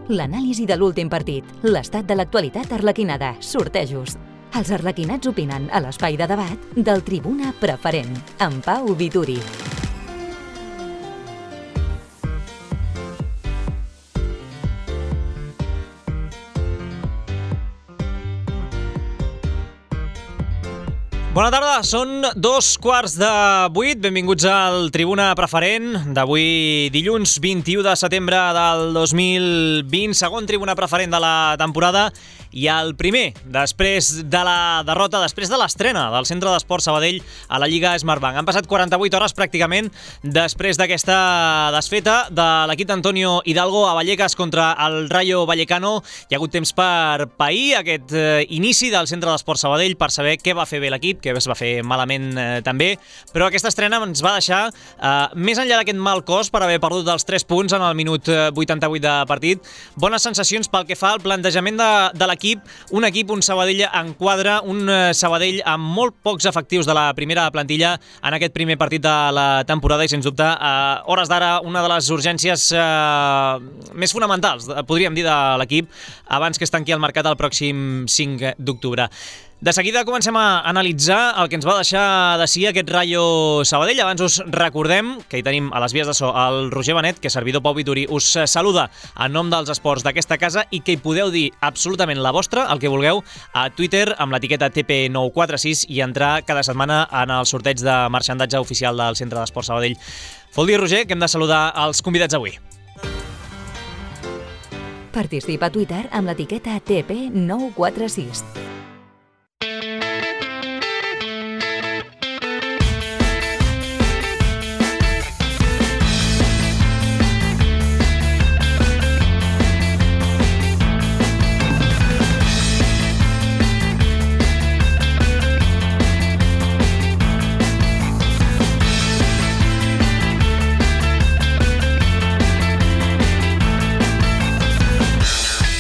L'anàlisi de l'últim partit, l'estat de l'actualitat arlequinada, sortejos. Els arlequinats opinen a l'espai de debat del Tribuna Preferent, amb Pau Vituri. Bona tarda, són 7:15. Benvinguts al Tribuna Preferent d'avui dilluns 21 de setembre del 2020, segon Tribuna Preferent de la temporada i el primer després de la derrota, després de l'estrena del Centre d'Esport Sabadell a la Lliga Smartbank. Han passat 48 hores pràcticament després d'aquesta desfeta de l'equip d'Antonio Hidalgo a Vallecas contra el Rayo Vallecano. Hi ha hagut temps per pair aquest inici del Centre d'Esport Sabadell per saber què va fer bé l'equip, que es va fer malament també, però aquesta estrena ens va deixar més enllà d'aquest mal cos per haver perdut els 3 punts en el minut 88 de partit, bones sensacions pel que fa al plantejament de l'equip, un Sabadell en quadre, un Sabadell amb molt pocs efectius de la primera plantilla en aquest primer partit de la temporada i sens dubte a hores d'ara una de les urgències més fonamentals, podríem dir, de l'equip abans que es tanqui el mercat el pròxim 5 d'octubre. De seguida comencem a analitzar el que ens va deixar de si aquest Rayo Sabadell. Abans us recordem que hi tenim a les vies de so el Roger Benet, que servidor Pau Vituri us saluda en nom dels esports d'aquesta casa i que hi podeu dir absolutament la vostra, el que vulgueu, a Twitter amb l'etiqueta TP946 i entrar cada setmana en el sorteig de marxandatge oficial del Centre d'Esport Sabadell. Vol dir, Roger, que hem de saludar els convidats avui. Participa a Twitter amb l'etiqueta TP946.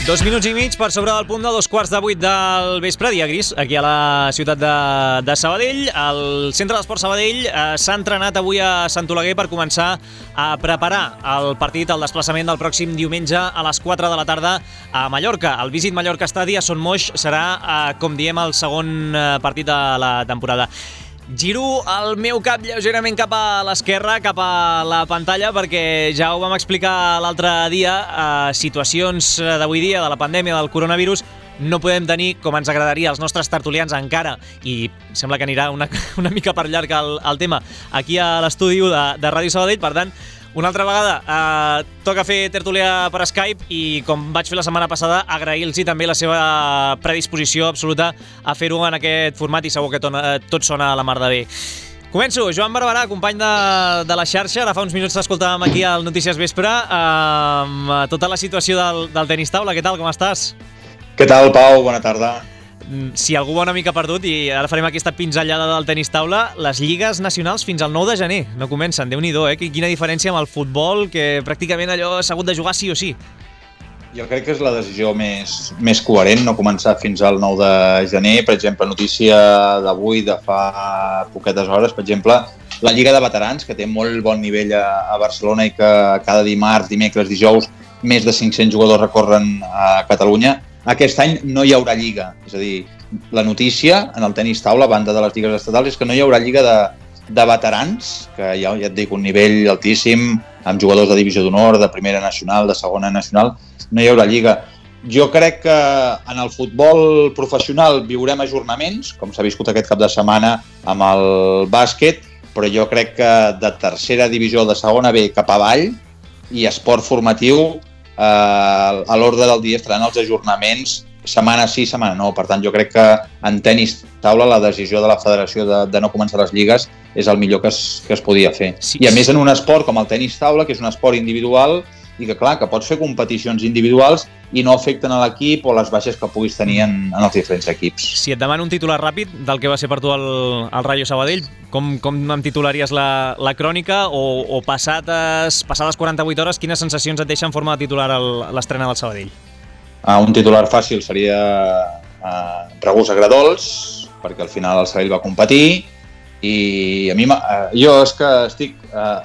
Dos minuts i mig per sobre del punt de 7:15 del vespre, dia gris, aquí a la ciutat de Sabadell. El Centre d'Esport Sabadell s'ha entrenat avui a Sant Oleguer per començar a preparar el partit, el desplaçament del pròxim diumenge a les 4 de la tarda a Mallorca. El Visit Mallorca Stadi a Son Moix serà, com diem, el segon partit de la temporada. Giro el meu cap lleugerament cap a l'esquerra, cap a la pantalla, perquè ja ho vam explicar l'altre dia, situacions d'avui dia, de la pandèmia, del coronavirus, no podem tenir, com ens agradaria, els nostres tertulians encara, i sembla que anirà una mica per llarg el tema, aquí a l'estudi de Ràdio Sabadell. Per tant, una altra vegada toca fer tertúlia per Skype i, com vaig fer la setmana passada, agrair-los també la seva predisposició absoluta a fer-ho en aquest format i segur que tot sona a la mar de bé. Començo. Joan Barberà, company de la xarxa. Ara fa uns minuts t'escoltàvem aquí al Notícies Vespre amb tota la situació del tenis taula. Què tal, com estàs? Què tal, Pau? Bona tarda. Si algú va una mica perdut, i ara farem aquesta pinzellada del tenis taula, les lligues nacionals fins al 9 de gener no comencen. Déu-n'hi-do, quina diferència amb el futbol, que pràcticament allò s'ha hagut de jugar sí o sí. Jo crec que és la decisió més coherent, no començar fins al 9 de gener. Per exemple, notícia d'avui, de fa poquetes hores, per exemple, la Lliga de Veterans, que té molt bon nivell a Barcelona i que cada dimarts, dimecres, dijous, més de 500 jugadors recorren a Catalunya. Aquest any no hi haurà lliga, és a dir, la notícia en el tenis taula, a banda de les lligues estatals, és que no hi haurà lliga de veterans, que ja et dic, un nivell altíssim, amb jugadors de divisió d'honor, de primera nacional, de segona nacional, no hi haurà lliga. Jo crec que en el futbol professional viurem ajornaments, com s'ha viscut aquest cap de setmana amb el bàsquet, però jo crec que de tercera divisió, de segona B cap avall, i esport formatiu, a l'ordre del dia estaran els ajornaments setmana sí, setmana no. Per tant, jo crec que en tenis taula la decisió de la federació de no començar les lligues és el millor que es podia fer. Sí. I a més en un esport com el tenis taula, que és un esport individual i que clar, que pots fer competicions individuals i no afecten a l'equip o les baixes que puguis tenir en els diferents equips. Si et demano un titular ràpid del que va ser per tu el Rayo Sabadell, com em titularies la crònica o passades 48 hores, quines sensacions et deixa en forma de titular l'estrena del Sabadell? Un titular fàcil seria regust agradols, perquè al final el Sabadell va competir, i a mi, jo és que estic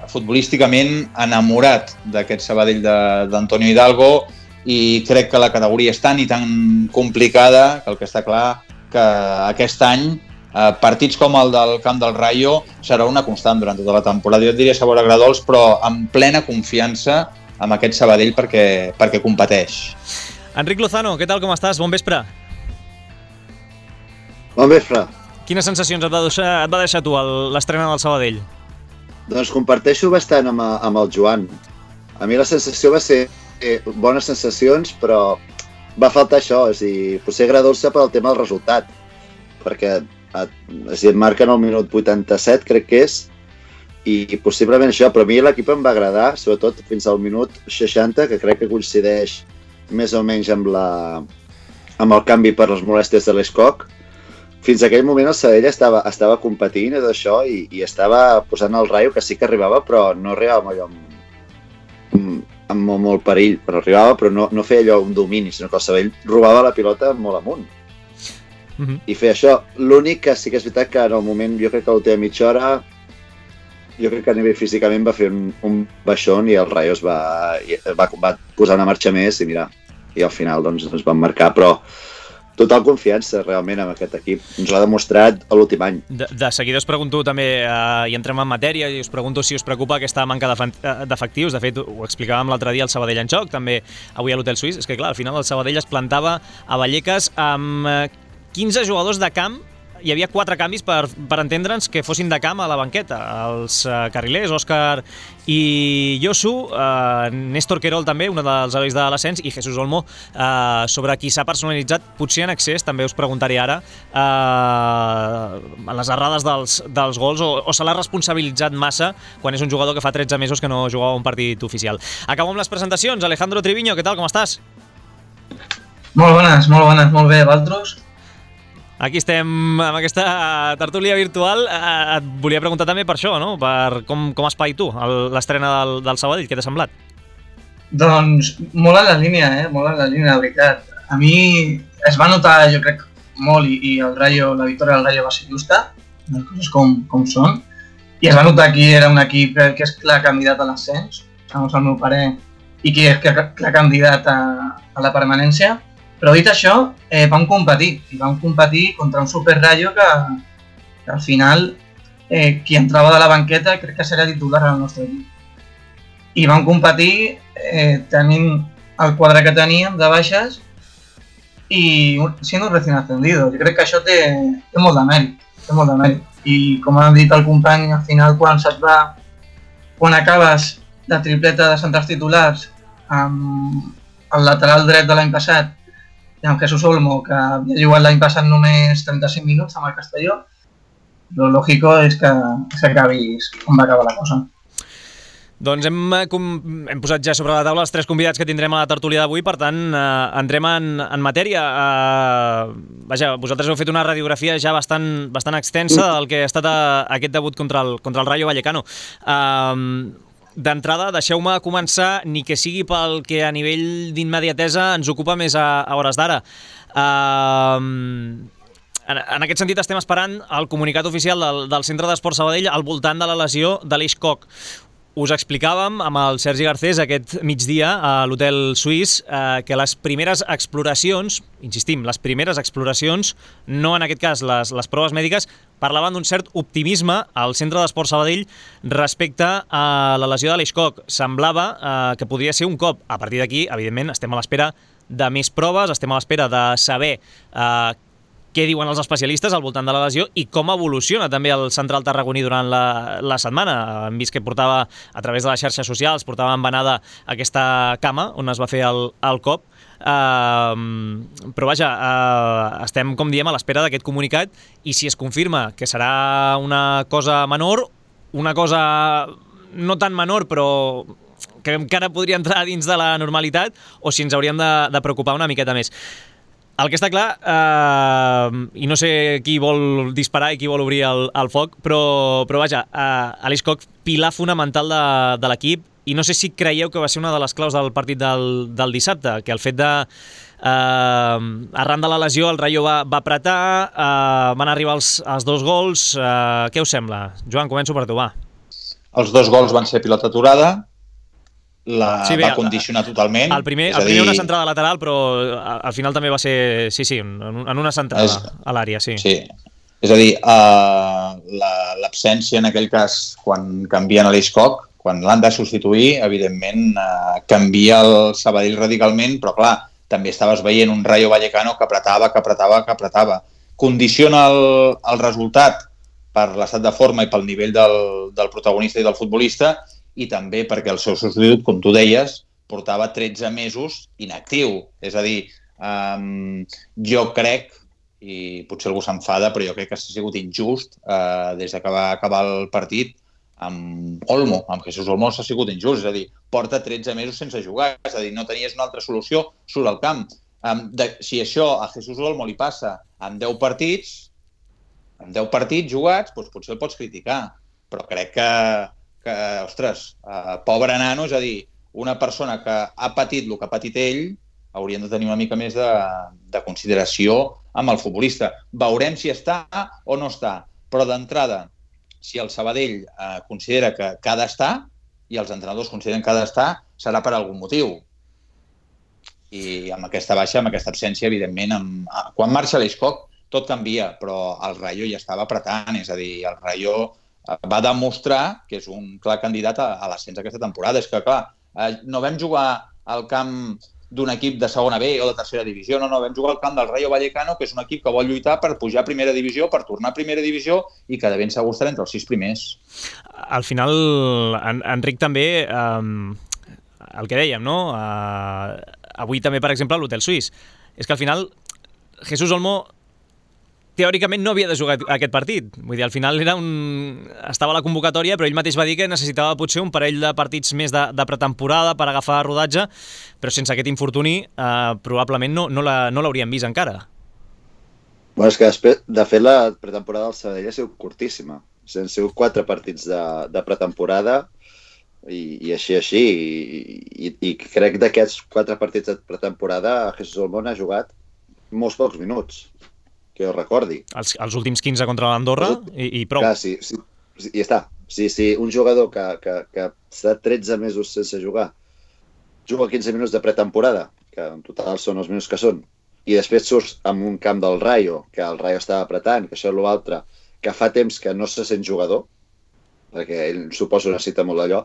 futbolísticament enamorat d'aquest Sabadell d'Antonio Hidalgo, i crec que la categoria és tan i tan complicada que el que està clar que aquest any partits com el del Camp del Rayo serà una constant durant tota la temporada. Jo et diria sabor agradols, però amb plena confiança amb aquest Sabadell perquè competeix. Enric Lozano, què tal, com estàs? Bon vespre. Bon vespre. Quines sensacions et va deixar tu l'estrena del Sabadell? Doncs comparteixo bastant amb el Joan. A mi la sensació va ser bones sensacions, però va faltar això, és a dir, potser agradar-se pel tema del resultat, perquè et marquen al minut 87, crec que és, i possiblement això, però a mi l'equip em va agradar, sobretot fins al minut 60, que crec que coincideix més o menys amb el canvi per les molèsties de l'Escoc. Fins a aquell moment el Sabadell estava competint d'això i estava posant el Rayo, que sí que arribava, però no arribava allò amb molt perill. Però arribava, però no feia allò un domini, sinó que el Sabadell robava la pilota molt amunt. I feia això. L'únic que sí que és veritat que en el moment, jo crec que a l'última mitja hora, jo crec que a nivell físicament va fer un baixón i el Rayo es va posar una marxa més i mira, i al final doncs ens van marcar, però total confiança realment amb aquest equip. Ens l'ha demostrat a l'últim any. De seguida us pregunto també, i entrem en matèria, i us pregunto si us preocupa aquesta manca d'efectius. De fet, ho explicàvem l'altre dia al Sabadell en joc, també avui a l'Hotel Suís. És que clar, al final el Sabadell es plantava a Vallecas amb 15 jugadors de camp. Hi havia 4 canvis per entendre'ns que fossin de camp a la banqueta. Els carrilers, Òscar i Josu, Néstor Querol també, un dels herois de l'ascens, i Jesús Olmo, sobre qui s'ha personalitzat, potser en excés, també us preguntaré ara, a les errades dels gols, o se l'ha responsabilitzat massa quan és un jugador que fa 13 mesos que no jugava un partit oficial. Acabo amb les presentacions. Alejandro Triviño, què tal, com estàs? Molt bones, molt bé, vosaltres? Aquí estem amb aquesta tertúlia virtual. Et volia preguntar també per això, no? Per com espai tu, l'estrena del Sabadell, què t'ha semblat? Doncs molt en la línia, molt en la línia, de veritat. A mi es va notar, jo crec, molt, i la victòria del Rayo va ser justa, les coses com són, i es va notar qui era un equip que és clar candidat a l'ascens, segons el meu parer, i qui és clar candidat a la permanència. Però dit això, vam competir contra un Super Rayo que al final qui entrava de la banqueta crec que seria titular al nostre equip. I vam competir tenint el quadre que teníem de baixes i sent un recién ascendido. Jo crec que això té molt de mèrit. I com ha dit el company, al final quan acabes de tripleta de centrals titulars amb el lateral dret de l'any passat i amb Jesús Olmo, que havia jugat l'any passat només 35 minuts amb el Castelló, lo lògico és que s'acabis com va acabar la cosa. Doncs hem posat ja sobre la taula els 3 convidats que tindrem a la tertúlia d'avui, per tant, entrem en matèria. Vaja, vosaltres heu fet una radiografia ja bastant extensa del que ha estat aquest debut contra el Rayo Vallecano. D'entrada, deixeu-me començar, ni que sigui pel que a nivell d'immediatesa ens ocupa més a hores d'ara. En aquest sentit estem esperant el comunicat oficial del Centre d'Esport Sabadell al voltant de la lesió de l'Eix Koch. Us explicàvem amb el Sergi Garcés aquest migdia a l'Hotel Suís que les primeres exploracions, insistim, les primeres exploracions, no en aquest cas les proves mèdiques, parlaven d'un cert optimisme al Centre d'Esport Sabadell respecte a la lesió de l'Eix Koch. Semblava que podria ser un cop. A partir d'aquí, evidentment, estem a l'espera de més proves, estem a l'espera de saber què diuen els especialistes al voltant de la lesió i com evoluciona també el central tarragoní durant la setmana. Hem vist que portava, a través de les xarxes socials, portava embenada aquesta cama on es va fer el cop. Però vaja, estem, com diem, a l'espera d'aquest comunicat i si es confirma que serà una cosa menor, una cosa no tan menor però que encara podria entrar dins de la normalitat, o si ens hauríem de preocupar una miqueta més. El que està clar, i no sé qui vol disparar i qui vol obrir el foc, però vaja, l'Eix Koch, pilar fonamental de l'equip, i no sé si creieu que va ser una de les claus del partit del dissabte, que el fet de, arran de la lesió, el Rayo va apretar, van arribar els 2 gols. Què us sembla? Joan, començo per tu, va. Els 2 gols van ser pilota aturada, va condicionar totalment. El primer una centrada lateral, però al final també va ser, en una centrada a l'àrea, sí. Sí, és a dir, l'absència en aquell cas, quan canvien a l'Iscoc, quan l'han de substituir, evidentment canvia el Sabadell radicalment, però clar, també estaves veient un Rayo Vallecano que apretava. Condiciona el resultat per l'estat de forma i pel nivell del protagonista i del futbolista, i també perquè el seu substitut, com tu deies, portava 13 mesos inactiu. És a dir, jo crec, i potser algú s'enfada, però jo crec que ha sigut injust des que va acabar el partit amb Olmo, amb Jesús Olmo s'ha sigut injust, és a dir, porta 13 mesos sense jugar, és a dir, no tenies una altra solució, surt al camp. Si això a Jesús Olmo li passa amb 10 partits jugats, doncs potser el pots criticar, però crec que ostres, pobre nano, és a dir, una persona que ha patit el que ha patit ell, haurien de tenir una mica més de consideració amb el futbolista. Veurem si està o no està, però d'entrada, si el Sabadell considera que ha d'estar i els entrenadors consideren que ha d'estar, serà per algun motiu. I amb aquesta baixa, amb aquesta absència, evidentment, quan marxa l'Iscoc tot canvia, però el Rayo ja estava apretant, és a dir, el Rayo va demostrar que és un clar candidat a l'ascens aquesta temporada. És que, clar, no vam jugar al camp d'un equip de segona B o de tercera divisió, no, vam jugar al camp del Rayo Vallecano, que és un equip que vol lluitar per pujar a primera divisió, per tornar a primera divisió i que de ben segur estarà entre els 6 primers. Al final, Enric, també, el que dèiem, no? Avui també, per exemple, a l'Hotel Suís. És que al final, Jesús Olmo teòricament no havia de jugar aquest partit. Vull dir, al final estava a la convocatòria, però ell mateix va dir que necessitava potser un parell de partits més de pretemporada per agafar rodatge, però sense aquest infortuni probablement no l'hauríem vist encara. Bueno, és que després, de fet, la pretemporada del Sabadell ha sigut curtíssima. Han sigut 4 partits de pretemporada i així. I crec que d'aquests 4 partits de pretemporada Jesús Olmo ha jugat molts pocs minuts, que jo recordi. Els últims 15 contra l'Andorra i prou. Clar, sí, i ja està. Sí, un jugador que està 13 mesos sense jugar, juga 15 minuts de pretemporada, que en total són els minuts que són, i després surts en un camp del Rayo, que el Rayo estava apretant, que això és l'altre, que fa temps que no se sent jugador, perquè ell suposo necessita molt d'allò,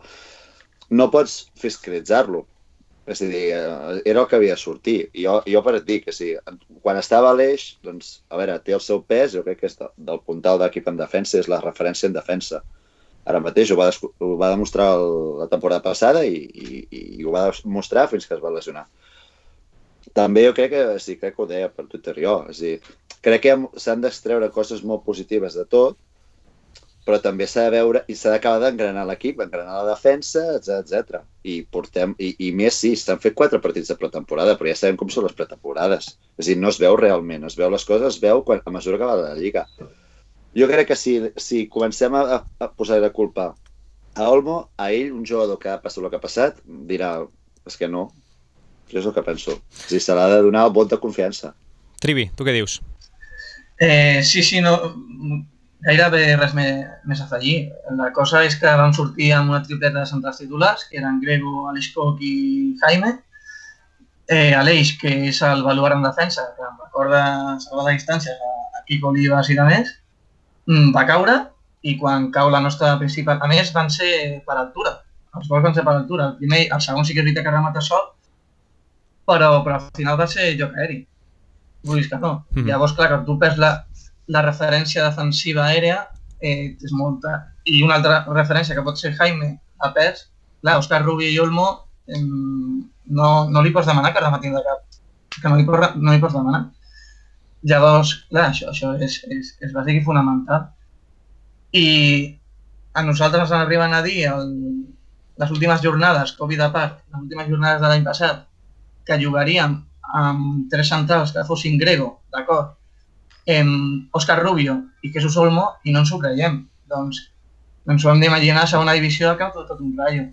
no pots fiscalitzar-lo. És a dir, era el que havia de sortir. Jo per dir que sí, quan estava a l'eix, doncs, a veure, té el seu pes, jo crec que és del puntal d'equip en defensa, és la referència en defensa. Ara mateix ho va demostrar la temporada passada i ho va demostrar fins que es va lesionar. També jo crec que ho deia per Twitter jo, és a dir, crec que s'han d'extreure coses molt positives de tot, però també s'ha de veure i s'ha d'acabar d'engranar l'equip, engranar la defensa, etc. I més, sí, s'han fet 4 partits de pretemporada, però ja sabem com són les pretemporades. És a dir, no es veu realment, es veu les coses, es veu a mesura que va la Lliga. Jo crec que si comencem a posar la culpa a Olmo, a ell, un jugador que ha passat el que ha passat, dirà, és que no. Això és el que penso. És a dir, se l'ha de donar el vot de confiança. Trivi, tu què dius? Sí, no... Gairebé res més a afegir. La cosa és que vam sortir amb una tripleta de centrals titulars, que eren Grego, Alexcoc i Jaime. Aleix, que és el baluart en defensa, que em recorda salvar la distància a Quico Olivas i de més, va caure i quan cau la nostra principal... A més, van ser per altura. Els gols van ser per altura. El segon sí que és veritat que remata sol, però al final va ser joc aeri. Vull dir que no. Llavors, clar, que tu perds la referència defensiva aèria és molta. I una altra referència que pot ser Jaime a pes, clar, Òscar Rubio i Olmo no li pots demanar que rematin de cap, que no li pots demanar. Llavors, clar, això és bàsic i fonamental. I a nosaltres ens arriben a dir les últimes jornades, Covid a part, les últimes jornades de l'any passat, que jugaríem amb 3 centrals que fossin Grego, d'acord, Òscar Rubio i Jesús Olmo, i no ens ho creiem. Doncs ens ho hem d'imaginar a segona divisió al camp tot un Rayo.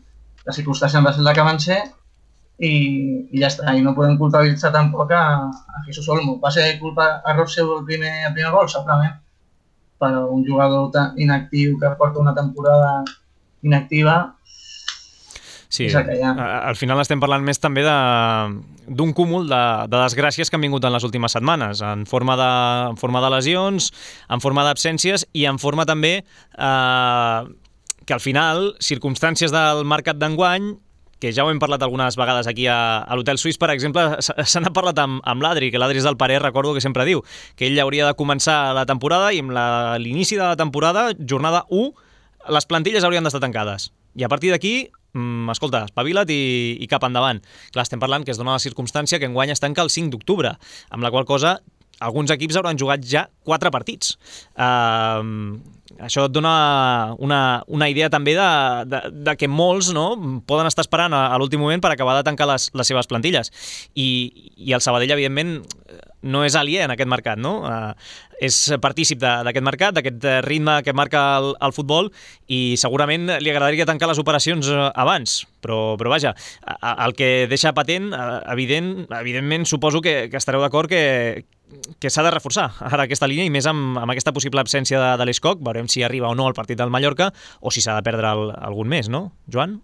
Les circumstàncies van ser la que van ser i ja està. I no podem culpabilitzar tampoc a Jesús Olmo. Va ser culpa error seu el primer gol, segurament, però un jugador tan inactiu que porta una temporada inactiva... Sí, és el que hi ha. al final estem parlant més també d'un cúmul de desgràcies que han vingut en les últimes setmanes, en forma de lesions, en forma d'absències i en forma també que al final, circumstàncies del mercat d'enguany, que ja ho hem parlat algunes vegades aquí a l'Hotel Suís, per exemple, se n'ha parlat amb l'Adri, que l'Adri és del parer, recordo que sempre diu, que ell hauria de començar la temporada i amb l'inici de la temporada, jornada 1, les plantilles haurien d'estar tancades. I a partir d'aquí, escolta, espavila't i cap endavant. Clar, estem parlant que es dona la circumstància que enguany es tanca el 5 d'octubre, amb la qual cosa alguns equips hauran jugat ja 4 partits. Això et dona una idea també de que molts, no, poden estar esperant a l'últim moment per acabar de tancar les seves plantilles. I el Sabadell, evidentment, no és aliè en aquest mercat, no? És partícip d'aquest mercat, d'aquest ritme que marca el futbol, i segurament li agradaria tancar les operacions abans, però vaja, el que deixa patent, evidentment suposo que estareu d'acord que s'ha de reforçar ara aquesta línia, i més amb aquesta possible absència de l'Escoc. Veurem si arriba o no al partit del Mallorca, o si s'ha de perdre algun més, no, Joan?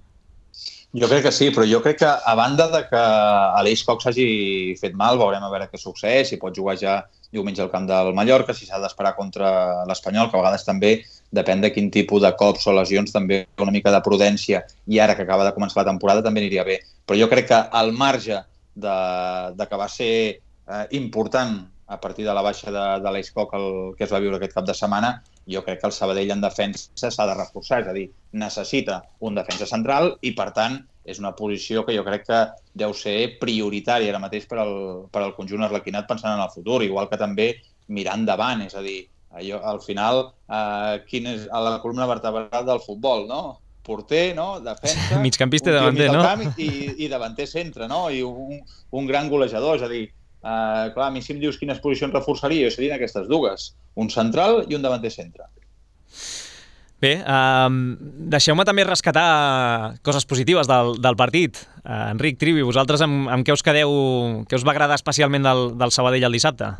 Jo crec que sí, però jo crec que a banda de que a l'Escoc s'hagi fet mal, veurem a veure què succeeix, si pot jugar ja diumenge al camp del Mallorca, si s'ha d'esperar contra l'Espanyol, que a vegades també depèn de quin tipus de cops o lesions, també una mica de prudència, i ara que acaba de començar la temporada també aniria bé. Però jo crec que al marge de que va ser important a partir de la baixa de l'Escoc que es va viure aquest cap de setmana, jo crec que el Sabadell en defensa s'ha de reforçar, és a dir, necessita un defensa central i, per tant, és una posició que jo crec que deu ser prioritària ara mateix per al conjunt arlequinat pensant en el futur, igual que també mirar endavant, és a dir, al final, quin és la columna vertebral del futbol, no? Porter, no? Defensa, migcampista i davanter, no? I davanter centre, no? I un gran golejador, és a dir, clar, a mi si em dius quines posicions reforçaria, jo serien aquestes dues, un central i un davanter centre. Bé, deixeu-me també rescatar coses positives del partit. Enric, Trivi, vosaltres amb què us quedeu, què us va agradar especialment del Sabadell el dissabte?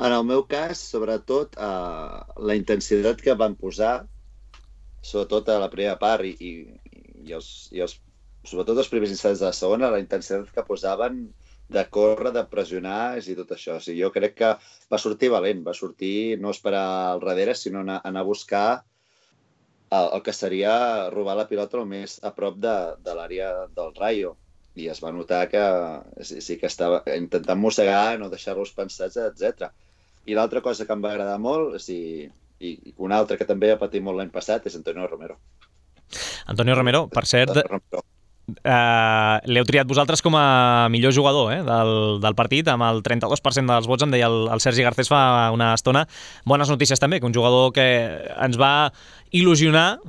En el meu cas, sobretot, la intensitat que van posar, sobretot a la primera part i sobretot els primers instants de la segona, la intensitat que posaven de córrer, de pressionar i tot això. O sigui, jo crec que va sortir valent, va sortir no esperar al darrere, sinó anar a buscar el que seria robar la pilota el més a prop de l'àrea del Rayo. I es va notar que sí que estava intentant mossegar, no deixar-los pensats, etc. I l'altra cosa que em va agradar molt, i una altra que també va patir molt l'any passat, és Antonio Romero. Antonio Romero, per cert, l'heu triat vosaltres com a millor jugador del partit, amb el 32% dels vots, em deia el Sergi Garcés fa una estona. Bones notícies també, que un jugador que ens va il·lusionar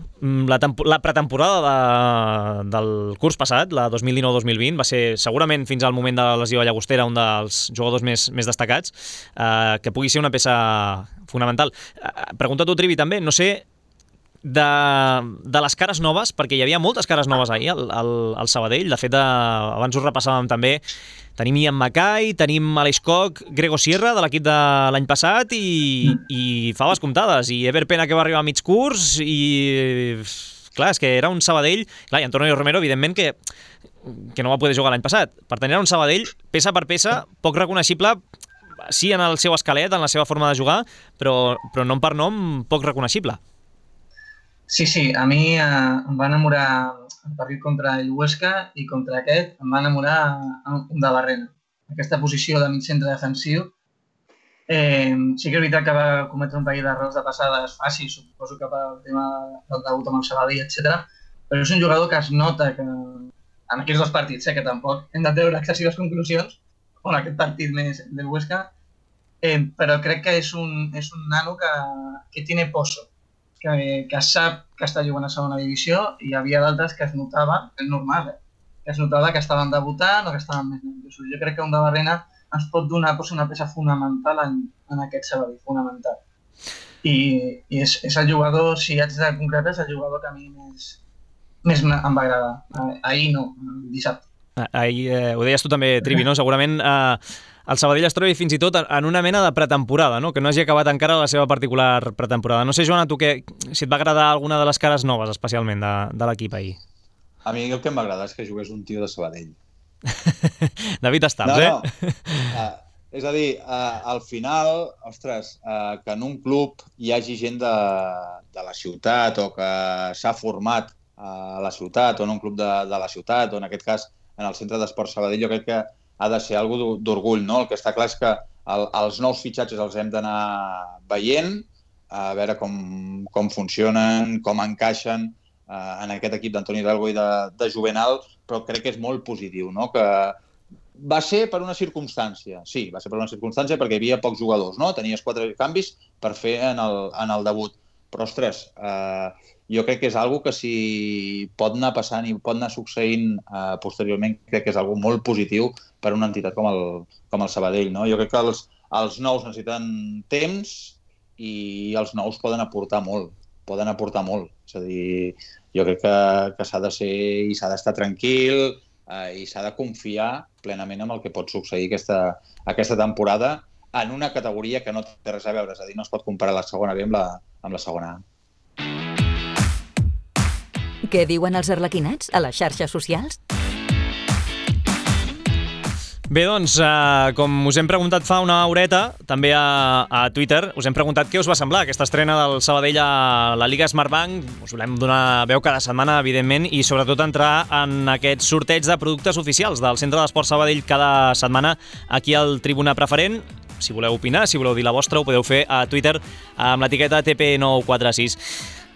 la pretemporada del curs passat, la 2019-2020, va ser segurament fins al moment de la lesió a Llagostera un dels jugadors més destacats, que pugui ser una peça fonamental. Pregunta tu, Trivi, també, no sé, de les cares noves, perquè hi havia moltes cares noves ahir al Sabadell. De fet, abans us repassàvem també, tenim Ian Mackay, tenim Aleix Koch, Grego Sierra de l'equip de l'any passat i faves comptades, i Ever Pena, que va arribar a mig curs, i clar, és que era un Sabadell, clar, i Antonio Romero, evidentment, que no va poder jugar l'any passat. Per tant, era un Sabadell, peça per peça, poc reconeixible, sí en el seu esquelet, en la seva forma de jugar, però nom per nom, poc reconeixible. Sí, a mi em va enamorar el partit contra el Huesca i contra aquest em va enamorar un de Barrena. Aquesta posició de mig centre defensiu. Sí que és veritat que va cometre un parell d'errors de passades fàcils, suposo que pel tema del debut amb el Sabadell, etc. Però és un jugador que es nota que en aquests dos partits, que tampoc hem de treure excessives conclusions, o en aquest partit més del Huesca, però crec que és un nano que tiene pozo, que sap que està jugant a segona divisió, i hi havia d'altres que es notava, és normal, que es notava que estaven debutant o que estaven més nerviosos. Jo crec que un de Barrena ens pot donar una peça fonamental en aquest Sabadell, fonamental. I és el jugador, si haig de concretar, és el jugador que a mi més em va agradar. Ahir no, dissabte. Ahir, ho deies tu també, Trivi, no? Segurament el Sabadell es trobi fins i tot en una mena de pretemporada, no? Que no hagi acabat encara la seva particular pretemporada. No sé, Joan, a tu si et va agradar alguna de les cares noves, especialment, de l'equip ahir. A mi el que m'agrada és que jugués un tio de Sabadell. David Estams, És a dir, al final, ostres, que en un club hi hagi gent de la ciutat o que s'ha format a la ciutat o en un club de la ciutat o en aquest cas en el Centre d'Esports Sabadell, jo crec que ha de ser algo d'orgull, no? El que està clar és que els nous fitxatges els hem d'anar veient, a veure com funcionen, com encaixen en aquest equip d'Antoni Hidalgo i de Juvenal, però crec que és molt positiu, no? Que va ser per una circumstància, sí, va ser per una circumstància perquè hi havia pocs jugadors, no? Tenies 4 canvis per fer en el debut. Però, ostres, jo crec que és algo que si pot anar passant i pot anar succeint posteriorment, crec que és algo molt positiu per una entitat com el Sabadell, no? Jo crec que els nous necessiten temps i els nous poden aportar molt. És a dir, jo crec que s'ha de ser i s'ha d'estar tranquil i s'ha de confiar plenament en el que pot succeir aquesta temporada en una categoria que no té res a veure, és a dir, no es pot comparar la segona B amb la segona A. Què diuen els arlequinats a les xarxes socials? Bé, doncs, com us hem preguntat fa una horeta, també a Twitter, us hem preguntat què us va semblar aquesta estrena del Sabadell a la Lliga Smartbank. Us volem donar veu cada setmana, evidentment, i sobretot entrar en aquest sorteig de productes oficials del Centre d'Esports Sabadell cada setmana aquí al Tribuna Preferent. Si voleu opinar, si voleu dir la vostra, ho podeu fer a Twitter amb l'etiqueta TP946.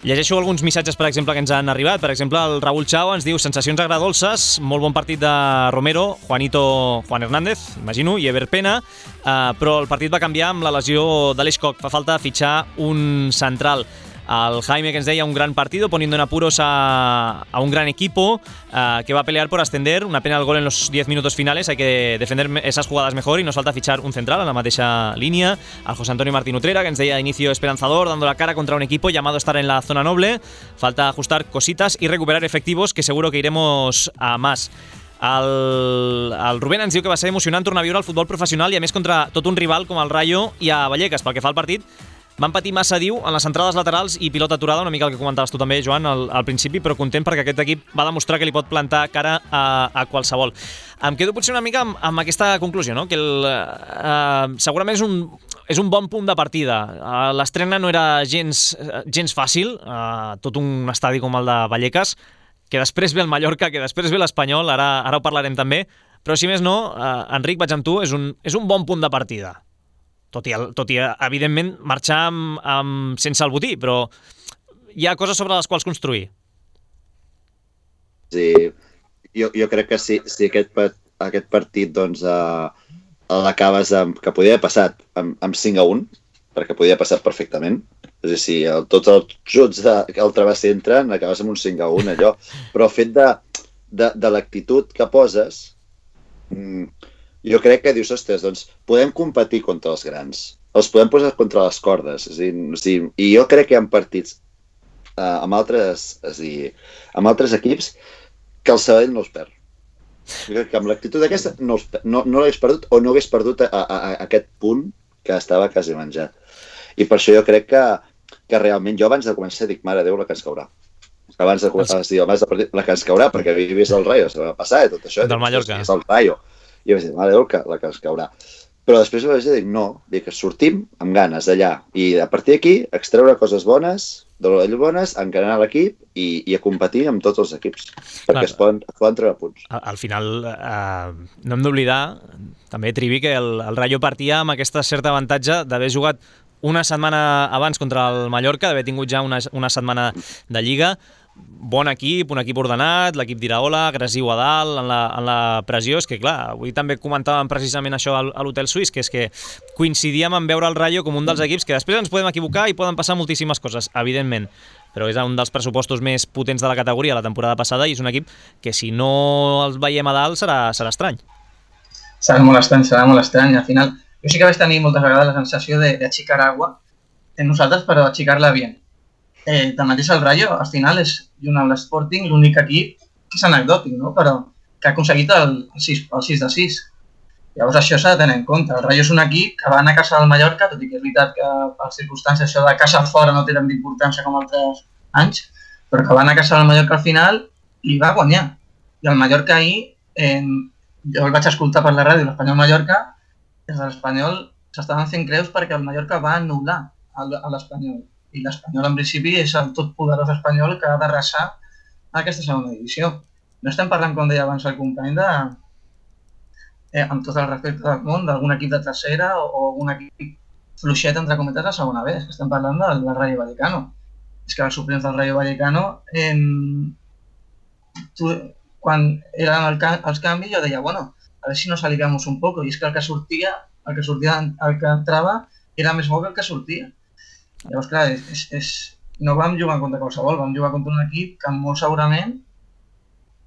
Llegeixo alguns missatges, per exemple, que ens han arribat. Per exemple, el Raúl Chao ens diu sensacions agradolces, molt bon partit de Romero, Juan Hernández, imagino, i Ever Pena, però el partit va canviar amb la lesió de l'Eix Coc. Fa falta fitxar un central. El Jaime, que ens deia un gran partido, poniendo en apuros a un gran equipo que va a pelear por ascender. Una pena el gol en los 10 minutos finales. Hay que defender esas jugadas mejor y nos falta fichar un central en la mateixa línia. El José Antonio Martín Utrera, que ens deia inicio esperanzador, dando la cara contra un equipo llamado a estar en la zona noble. Falta ajustar cositas y recuperar efectivos, que seguro que iremos a más. El Rubén ens diu que va ser emocionant tornar a viure el futbol professional i a més contra tot un rival com el Rayo i a Vallecas. Pel que fa al partit, van patir massa, diu, en les entrades laterals i pilota aturada, una mica el que comentaves tu també, Joan, al principi, però content perquè aquest equip va demostrar que li pot plantar cara a qualsevol. Em quedo potser una mica amb aquesta conclusió, no? Que segurament és un bon punt de partida. L'estrena no era gens fàcil, tot un estadi com el de Vallecas, que després ve el Mallorca, que després ve l'Espanyol, ara ho parlarem també, però si més no, Enric, vaig amb tu, és un bon punt de partida. Tot i evidentment, marxar sense el botí, però hi ha coses sobre les quals construir. Sí, jo crec que si aquest partit doncs, l'acabes que podia haver passat amb 5-1, perquè podia passar perfectament, és a dir, si tots els juts del travesser entren, acabes amb un 5-1, allò. Però el fet de l'actitud que poses, jo crec que dius, ostres, doncs podem competir contra els grans, els podem posar contra les cordes, i jo crec que hi ha partits amb altres equips que el Sabadell no els perd. Jo crec que amb l'actitud aquesta no l'hagués perdut o no hagués perdut aquest punt que estava quasi menjat. I per això jo crec que realment, jo abans de començar dic, mare Déu, la que ens caurà. Abans de partir, la que ens caurà, perquè havia vist el Rayo, se va passar i tot això. Del Mallorca. És el Rayo. I jo vaig dir, mare Déu, la que ens caurà. Però després vaig dir, no, que sortim amb ganes d'allà i a partir d'aquí extreure coses bones, encarar l'equip i a competir amb tots els equips, perquè es poden treure punts. Al final, no hem d'oblidar, també, Trivi, que el Rayo partia amb aquesta certa avantatge d'haver jugat una setmana abans contra el Mallorca, d'haver tingut ja una setmana de Lliga. Bon equip, un equip ordenat, l'equip d'Iraola, agressiu a dalt, en la pressió. És que, clar, avui també comentàvem precisament això a l'Hotel Suís, que és que coincidíem en veure el Rayo com un dels equips que després ens podem equivocar i poden passar moltíssimes coses, evidentment, però és un dels pressupostos més potents de la categoria la temporada passada i és un equip que si no els veiem a dalt serà estrany. Serà molt estrany. Al final, jo sí que vaig tenir moltes vegades la sensació d'aixecar agua en nosaltres, però aixecar-la bien. Tanmateix el Rayo, al final, és junt amb l'Sporting l'únic equip que és anecdòtic, no? Però que ha aconseguit el 6-6. Llavors això s'ha de tenir en compte. El Rayo és un equip que va anar a casa del Mallorca, tot i que és veritat que per circumstàncies això de casa fora no té tant d'importància com altres anys, però que va anar a casa del Mallorca al final i va guanyar. I el Mallorca ahir, jo el vaig escoltar per la ràdio, l'Espanyol-Mallorca, des de l'Espanyol s'estaven fent creus perquè el Mallorca va anul·lar a l'Espanyol. I l'Espanyol, en principi, és el totpoderós Espanyol que ha d'arrasar aquesta segona divisió. No estem parlant, com deia abans el company, amb tot el respecte del món, d'algun equip de tercera o algun equip fluixet, entre cometes, a segona B. És que estem parlant del Rayo Vallecano. És que els suplents del Rayo Vallecano, quan eren els canvis, jo deia, bueno, a veure si nos aliviamos un poco. I és que el que entrava era més bo que el que sortia. Llavors, clar, no vam jugar contra qualsevol, vam jugar contra un equip que molt segurament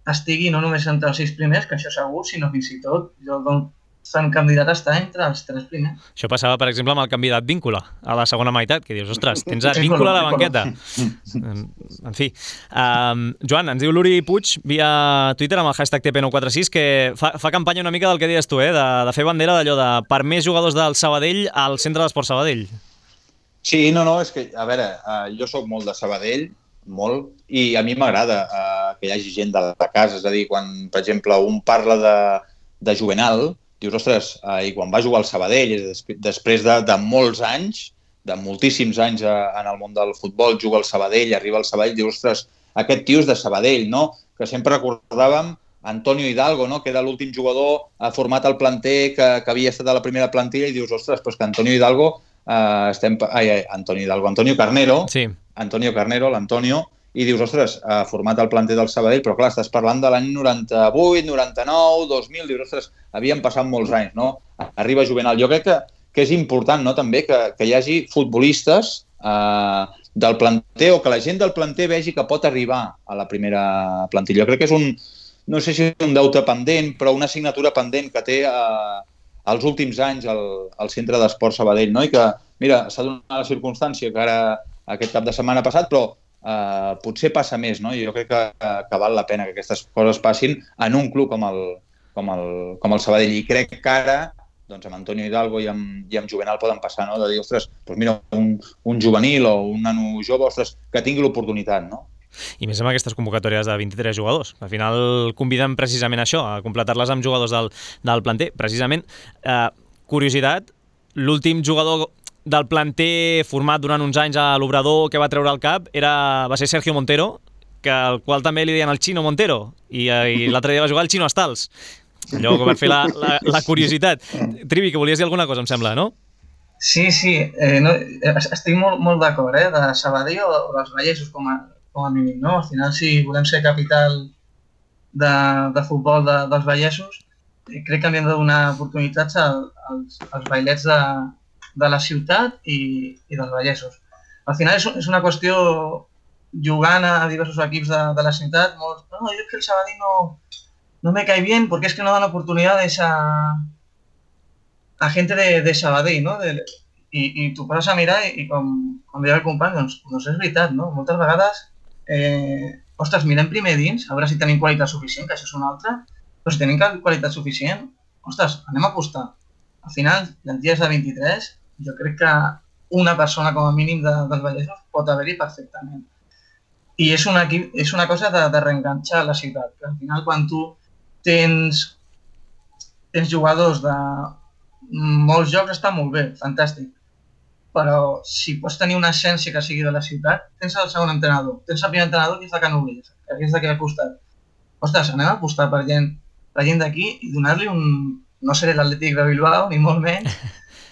estigui no només entre els 6 primers, que això segur, sinó fins i tot el candidat està entre els 3 primers. Això passava, per exemple, amb el candidat Víncula a la segona meitat, que dius, ostres, tens a Víncula a la banqueta. En fi. Joan, ens diu l'Uri Puig via Twitter amb el hashtag TP946 que fa campanya una mica del que dius tu, de fer bandera d'allò de per més jugadors del Sabadell al centre d'Esport Sabadell. Sí, no, és que, a veure, jo sóc molt de Sabadell, molt, i a mi m'agrada que hi hagi gent de casa, és a dir, quan, per exemple, un parla de Juvenal, dius, ostres, i quan va jugar al Sabadell, després de molts anys, de moltíssims anys en el món del futbol, juga al Sabadell, arriba al Sabadell, dius, ostres, aquest tio és de Sabadell, no? Que sempre recordàvem Antonio Hidalgo, no? Que era l'últim jugador format al planter que havia estat a la primera plantilla, i dius, ostres, però és que Antonio Hidalgo Antonio Carnero, sí. Antonio Carnero, l'Antonio, i dius, ostres, format al planter del Sabadell, però clar, estàs parlant de l'any 98, 99, 2000, dius, ostres, havien passat molts anys, no? Arriba Juvenal. Jo crec que és important, no?, també, que hi hagi futbolistes del planter o que la gent del planter vegi que pot arribar a la primera plantilla. Jo crec que és no sé si un deute pendent, però una assignatura pendent que té els últims anys al centre d'Esport Sabadell, no? I que, mira, s'ha donat la circumstància que ara aquest cap de setmana passat, però potser passa més, no? I jo crec que val la pena que aquestes coses passin en un club com el Sabadell. I crec que ara, doncs amb Antonio Hidalgo i amb Juvenal poden passar, no? De dir, ostres, doncs mira, un juvenil o un nano jove, ostres, que tingui l'oportunitat, no? I més amb aquestes convocatòries de 23 jugadors. Al final conviden precisament això, a completar-les amb jugadors del planter. Precisament, curiositat, l'últim jugador del planter format durant uns anys a l'Obrador que va treure el cap va ser Sergio Montero, al qual també li deien el Chino Montero, i l'altre dia va jugar el Chino Astals. Allò per fer la curiositat. Trivi, que volies dir alguna cosa, em sembla, no? Sí, estic molt d'acord, de Sabadell o dels Vallesos com a mínim, no? Al final, si volem ser capital de futbol dels Vallesos, crec que hem de donar oportunitats als bailets de la ciutat i dels Vallesos. Al final és una qüestió, jugant a diversos equips de la ciutat, no, jo és que el Sabadell no me cae bien porque es que no dan oportunidades a gente de Sabadell, no? I tu poses a mirar i com deia el company, doncs és veritat, no? Moltes vegades ostres, mirem primer dins, a veure si tenim qualitat suficient, que això és una altra, però si tenim qualitat suficient, ostres, anem a apostar. Al final, plantilles de 23, jo crec que una persona com a mínim dels Vallesos pot haver-hi perfectament. I és una cosa de reenganxar la ciutat, que al final quan tu tens jugadors de molts jocs està molt bé, fantàstic. Però si pots tenir una essència que sigui de la ciutat, tens el segon entrenador, tens el primer entrenador que és de Canolles, que és d'aquí al costat. Ostres, anem a apostar per gent d'aquí i donar-li no seré l'Atlètic de Bilbao, ni molt menys,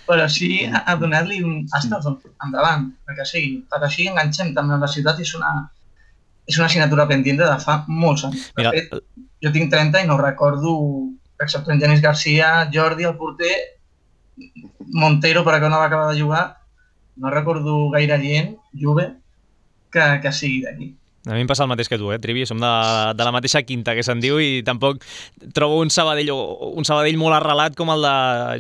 però sí a donar-li endavant, perquè així enganxem també amb la ciutat i és una assignatura pendent de fa molts anys. De fet, jo tinc 30 i no recordo, excepte en Genís Garcia, Jordi, el porter, Montero, per que no va acabar de jugar, no recordo gaire gent, Juve, que sigui d'aquí. A mi em passa el mateix que tu, Trivi, som de la mateixa quinta que se'n diu i tampoc trobo un Sabadell molt arrelat com el de,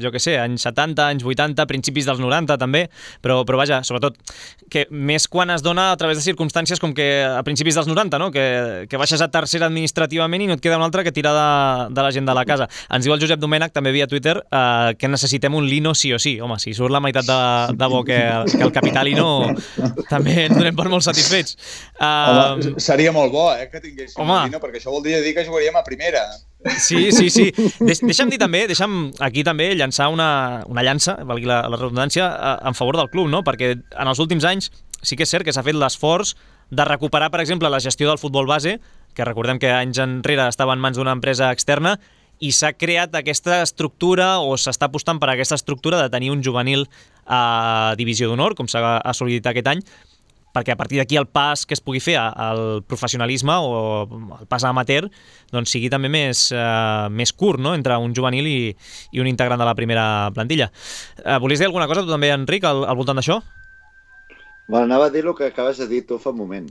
jo què sé, anys 70, anys 80, principis dels 90 també, però vaja, sobretot, que més quan es dona a través de circumstàncies com que a principis dels 90, no? Que baixes a tercera administrativament i no et queda una altra que tirar de la gent de la casa. Ens diu el Josep Domènech, també via Twitter, que necessitem un Lino sí o sí. Home, si surt la meitat de bo que el Capitalino, també ens donem per molt satisfets. Seria molt bo, que tinguéssim Molino, perquè això voldria dir que jugaríem a primera. Sí. Deixa'm dir també, aquí també llançar una llança, valgui la redundància, en favor del club, no? Perquè en els últims anys sí que és cert que s'ha fet l'esforç de recuperar, per exemple, la gestió del futbol base, que recordem que anys enrere estava en mans d'una empresa externa, i s'ha creat aquesta estructura, o s'està apostant per aquesta estructura de tenir un juvenil a divisió d'honor, com s'ha assolit aquest any, perquè a partir d'aquí el pas que es pugui fer al professionalisme o el pas amateur doncs sigui també més curt, no?, entre un juvenil i un integrant de la primera plantilla. Volies dir alguna cosa tu també, Enric, al voltant d'això? Bueno, anava a dir el que acabes de dir tu fa un moment.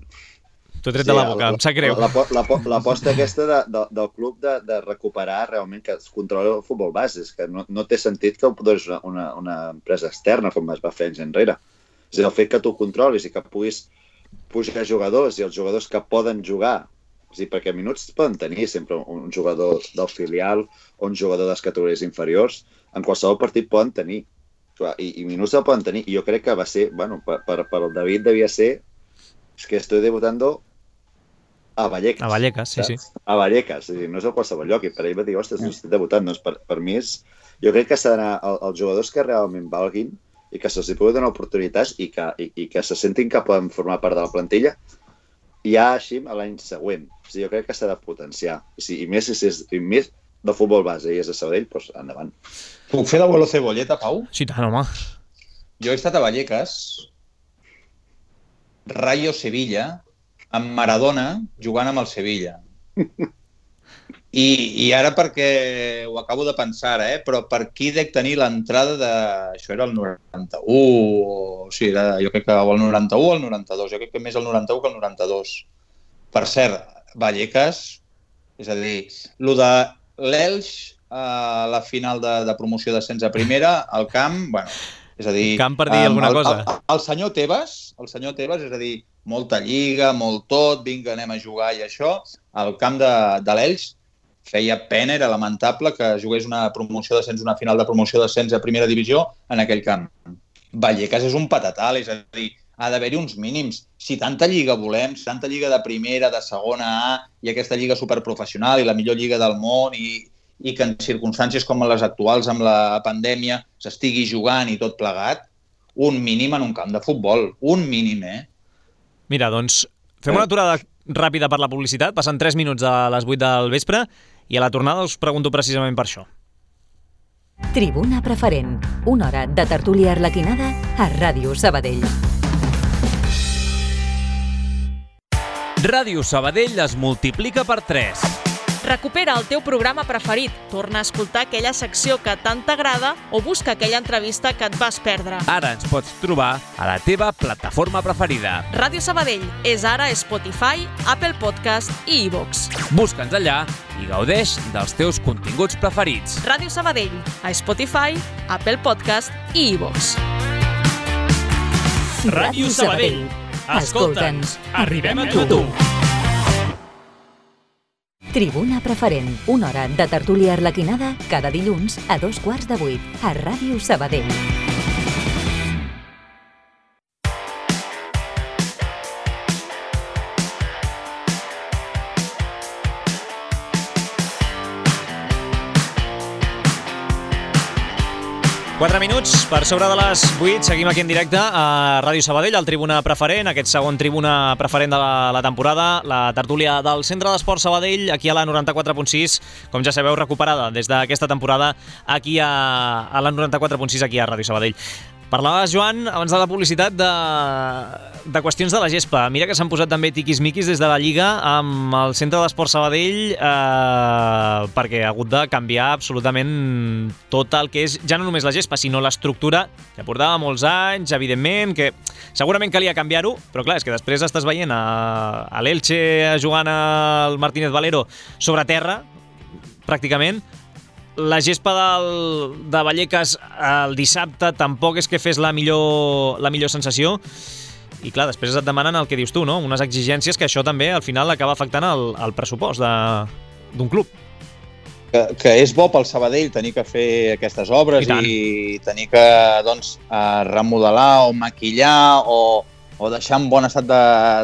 T'ho he tret de la boca, em sap greu. L'aposta aquesta del club de recuperar realment que es controla el futbol base, és que no té sentit que ho posis una empresa externa com es va fer anys enrere. És el fet que tu controlis i que puguis pujar jugadors i els jugadors que poden jugar, perquè minuts poden tenir sempre un jugador del filial o un jugador de les categories inferiors, en qualsevol partit poden tenir i minuts el poden tenir, i jo crec que va ser, bueno, per el David devia ser que estoy debutando a Vallecas. A Vallecas, sí. A Vallecas, no és a qualsevol lloc, i per ell va dir, ostres, estic debutant, doncs per mi és, jo crec que s'ha d'anar als jugadors que realment valguin i que se'ls pugui donar oportunitats i que se sentin que poden formar part de la plantilla ja així a l'any següent. O sigui, jo crec que s'ha de potenciar. I més de futbol base i és de Sabadell, doncs endavant. Puc fer d'abuelo cebolleta, Pau? Sí, tant, home. Jo he estat a Vallecas, Rayo Sevilla, amb Maradona jugant amb el Sevilla. I ara perquè ho acabo de pensar, però per qui dec tenir l'entrada de... Això era el 91, o sí, jo crec que el 91 o el 92, jo crec que més el 91 que el 92. Per cert, Vallecas, és a dir, el de l'Elx a la final de promoció d'ascens a primera, al camp, bueno, és a dir... Camp per dir alguna cosa. El senyor Tebas, és a dir, molta lliga, molt tot, vinga, anem a jugar i això, al camp de l'Elx, feia pena, era lamentable que jugués una final de promoció d'ascens a primera divisió en aquell camp. Vallecas és un patatal, és a dir, ha d'haver-hi uns mínims. Si tanta lliga volem, si tanta lliga de primera, de segona A, i aquesta lliga superprofessional i la millor lliga del món, i que en circumstàncies com les actuals amb la pandèmia s'estigui jugant i tot plegat, un mínim en un camp de futbol. Un mínim, Mira, doncs, fem una aturada ràpida per la publicitat, passen 3 minuts a les 8 del vespre, i a la tornada us pregunto precisament per això. Tribuna Preferent, una hora de tertúlia arlequinada a Ràdio Sabadell. Ràdio Sabadell es multiplica per 3. Recupera el teu programa preferit, torna a escoltar aquella secció que tant t'agrada o busca aquella entrevista que et vas perdre. Ara ens pots trobar a la teva plataforma preferida. Ràdio Sabadell és ara Spotify, Apple Podcast i iVoox. Busca'ns allà i gaudeix dels teus continguts preferits. Ràdio Sabadell, a Spotify, Apple Podcast i iVoox. Ràdio Sabadell. Escolta'ns, arribem a tu. Tribuna Preferent, una hora de tertúlia arlequinada cada dilluns a 7:15 a Ràdio Sabadell. Quatre minuts per sobre de les 8, seguim aquí en directe a Ràdio Sabadell, al Tribuna Preferent, aquest segon Tribuna Preferent de la temporada, la tertúlia del Centre d'Esports Sabadell, aquí a la 94.6, com ja sabeu, recuperada des d'aquesta temporada aquí a la 94.6, aquí a Ràdio Sabadell. Parlaves, Joan, abans de la publicitat, de qüestions de la gespa. Mira que s'han posat també tiquis-miquis des de la Lliga amb el Centre d'Esports Sabadell perquè ha hagut de canviar absolutament tot el que és, ja no només la gespa, sinó l'estructura, que portava molts anys, evidentment, que segurament calia canviar-ho, però clar, és que després estàs veient a l'Elche jugant al Martínez Valero sobre terra, pràcticament. La gespa de Vallecas el dissabte tampoc és que fes la millor sensació, i clar, després et demanen el que dius tu, no? Unes exigències que això també al final acaba afectant el pressupost d'un club. Que és bo pel Sabadell tenir que fer aquestes obres i tenir que remodelar o maquillar o o deixar en bon estat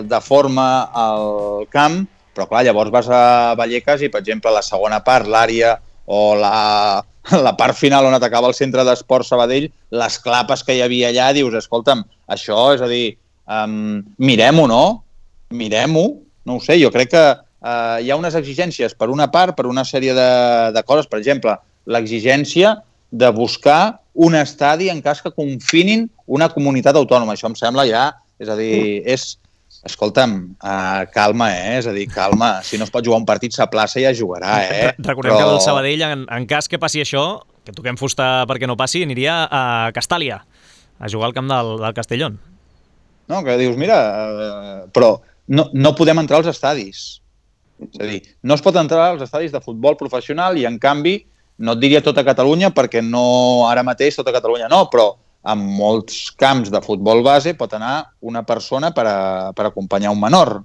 de forma al camp, però clar, llavors vas a Vallecas i, per exemple, la segona part, l'àrea o la part final on atacava el centre d'esport Sabadell, les clapes que hi havia allà, dius, escolta'm, això, és a dir, mirem-ho, no? Mirem-ho, no ho sé, jo crec que hi ha unes exigències per una part, per una sèrie de coses, per exemple, l'exigència de buscar un estadi en cas que confinin una comunitat autònoma. Això em sembla ja, és a dir, escolta'm, calma, és a dir, calma. Si no es pot jugar un partit, s'aplaça i ja jugarà, Recordem que el Sabadell, en cas que passi això, que toquem fusta perquè no passi, aniria a Castàlia, a jugar al camp del Castellón. No, que dius, mira, però no podem entrar als estadis. És a dir, no es pot entrar als estadis de futbol professional i, en canvi, no et diria tota Catalunya, perquè no ara mateix tota Catalunya no, però en molts camps de futbol base pot anar una persona per acompanyar un menor.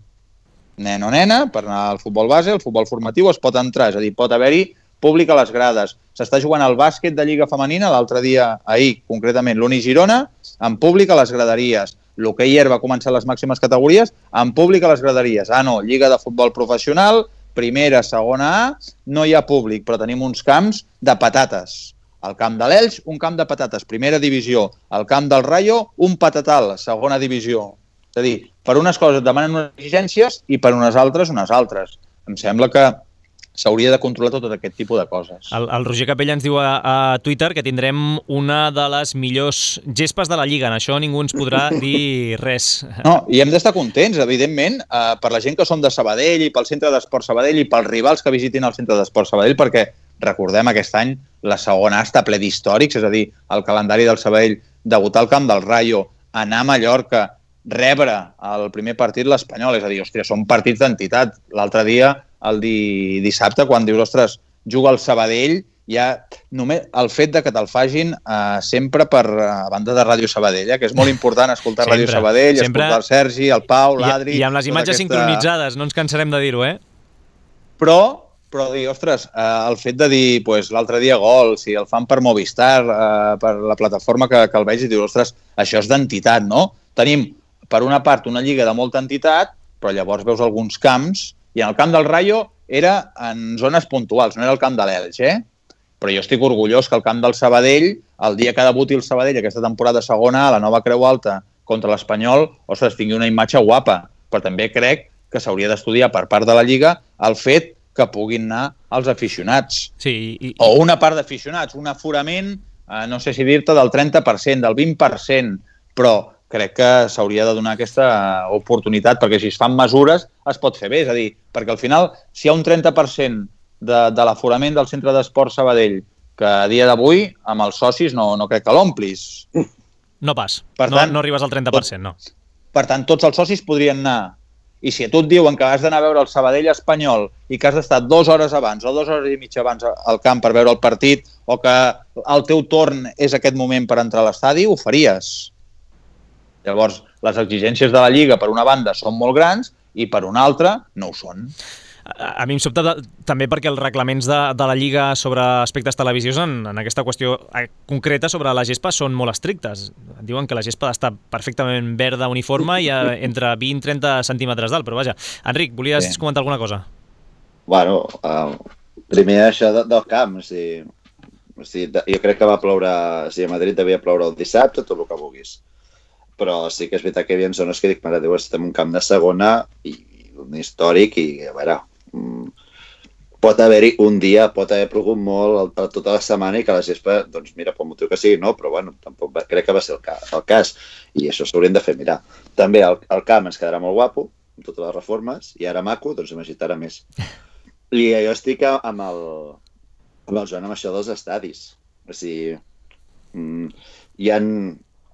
Nen o nena, per anar al futbol base, al futbol formatiu, es pot entrar, és a dir, pot haver-hi públic a les grades. S'està jugant al bàsquet de Lliga Femenina, l'altre dia, ahir, concretament, l'Uni Girona, en públic a les graderies. L'hoquei herba va començar a les màximes categories, en públic a les graderies. No, Lliga de Futbol Professional, primera, segona A, no hi ha públic, però tenim uns camps de patates. Al camp de l'Elx, un camp de patates, primera divisió. Al camp del Rayo, un patatal, segona divisió. És a dir, per unes coses demanen unes exigències i per unes altres, unes altres. Em sembla que s'hauria de controlar tot aquest tipus de coses. El Roger Capella ens diu a Twitter que tindrem una de les millors gespes de la Lliga. En això ningú ens podrà dir res. No, i hem d'estar contents, evidentment, per la gent que som de Sabadell i pel centre d'esport Sabadell i pels rivals que visitin el centre d'esport Sabadell, perquè, recordem, aquest any la segona A està ple d'històrics, és a dir, el calendari del Sabadell, debutar al camp del Rayo, anar a Mallorca, rebre el primer partit l'Espanyol, és a dir, hòstia, són partits d'entitat. L'altre dia, el dissabte, quan dius, ostres, juga el Sabadell, ja només el fet de que te'l fagin sempre per a banda de Ràdio Sabadell, que és molt important escoltar Ràdio Sabadell, escoltar el Sergi, el Pau, l'Adri... I amb les imatges sincronitzades, no ens cansarem de dir-ho, Però dir, ostres, el fet de dir, l'altre dia gol, si el fan per Movistar, per la plataforma que el veig, i dius, ostres, això és d'entitat, no? Tenim, per una part, una lliga de molta entitat, però llavors veus alguns camps, i en el camp del Rayo era en zones puntuals, no era el camp de l'Elx, Però jo estic orgullós que el camp del Sabadell, el dia que debuti el Sabadell, aquesta temporada segona A, la nova Creu Alta, contra l'Espanyol, ostres, tingui una imatge guapa. Però també crec que s'hauria d'estudiar per part de la Lliga el fet que puguin anar els aficionats. Sí, o una part d'aficionats, un aforament, no sé si dir-te, del 30%, del 20%, però crec que s'hauria de donar aquesta oportunitat, perquè si es fan mesures es pot fer bé. És a dir, perquè al final, si hi ha un 30% de l'aforament del centre d'esport Sabadell, que a dia d'avui, amb els socis, no crec que l'omplis. No pas. Per tant, no arribes al 30%, no. Per tant, tots els socis podrien anar. I si a tu et diuen que has d'anar a veure el Sabadell Espanyol i que has d'estar 2 hores abans o 2 hores i mitja abans al camp per veure el partit, o que el teu torn és aquest moment per entrar a l'estadi, ho faries. Llavors, les exigències de la Lliga, per una banda, són molt grans i per una altra no ho són. A mi em sobta també perquè els reglaments de la Lliga sobre aspectes televisius en aquesta qüestió concreta sobre la gespa són molt estrictes. Diuen que la gespa ha d'estar perfectament verda, uniforme i entre 20 i 30 centímetres d'alt, però vaja. Enric, volies comentar alguna cosa? Bueno, primer això del camp, jo crec que va ploure, a Madrid devia ploure el dissabte, tot el que vulguis. Però sí que és veritat que hi havia zones que dic, mare Déu, estem en un camp de segona i un històric i, a veure, pot haver-hi un dia, pot haver plogut molt tota la setmana i que la gespa, doncs mira, pel motiu que sigui, no, però bueno, tampoc crec que va ser el cas i això s'haurien de fer mirar. També el camp ens quedarà molt guapo, amb totes les reformes, i ara maco, doncs imagina't ara més. I jo estic amb el Joan amb això dels estadis. O sigui, hi ha...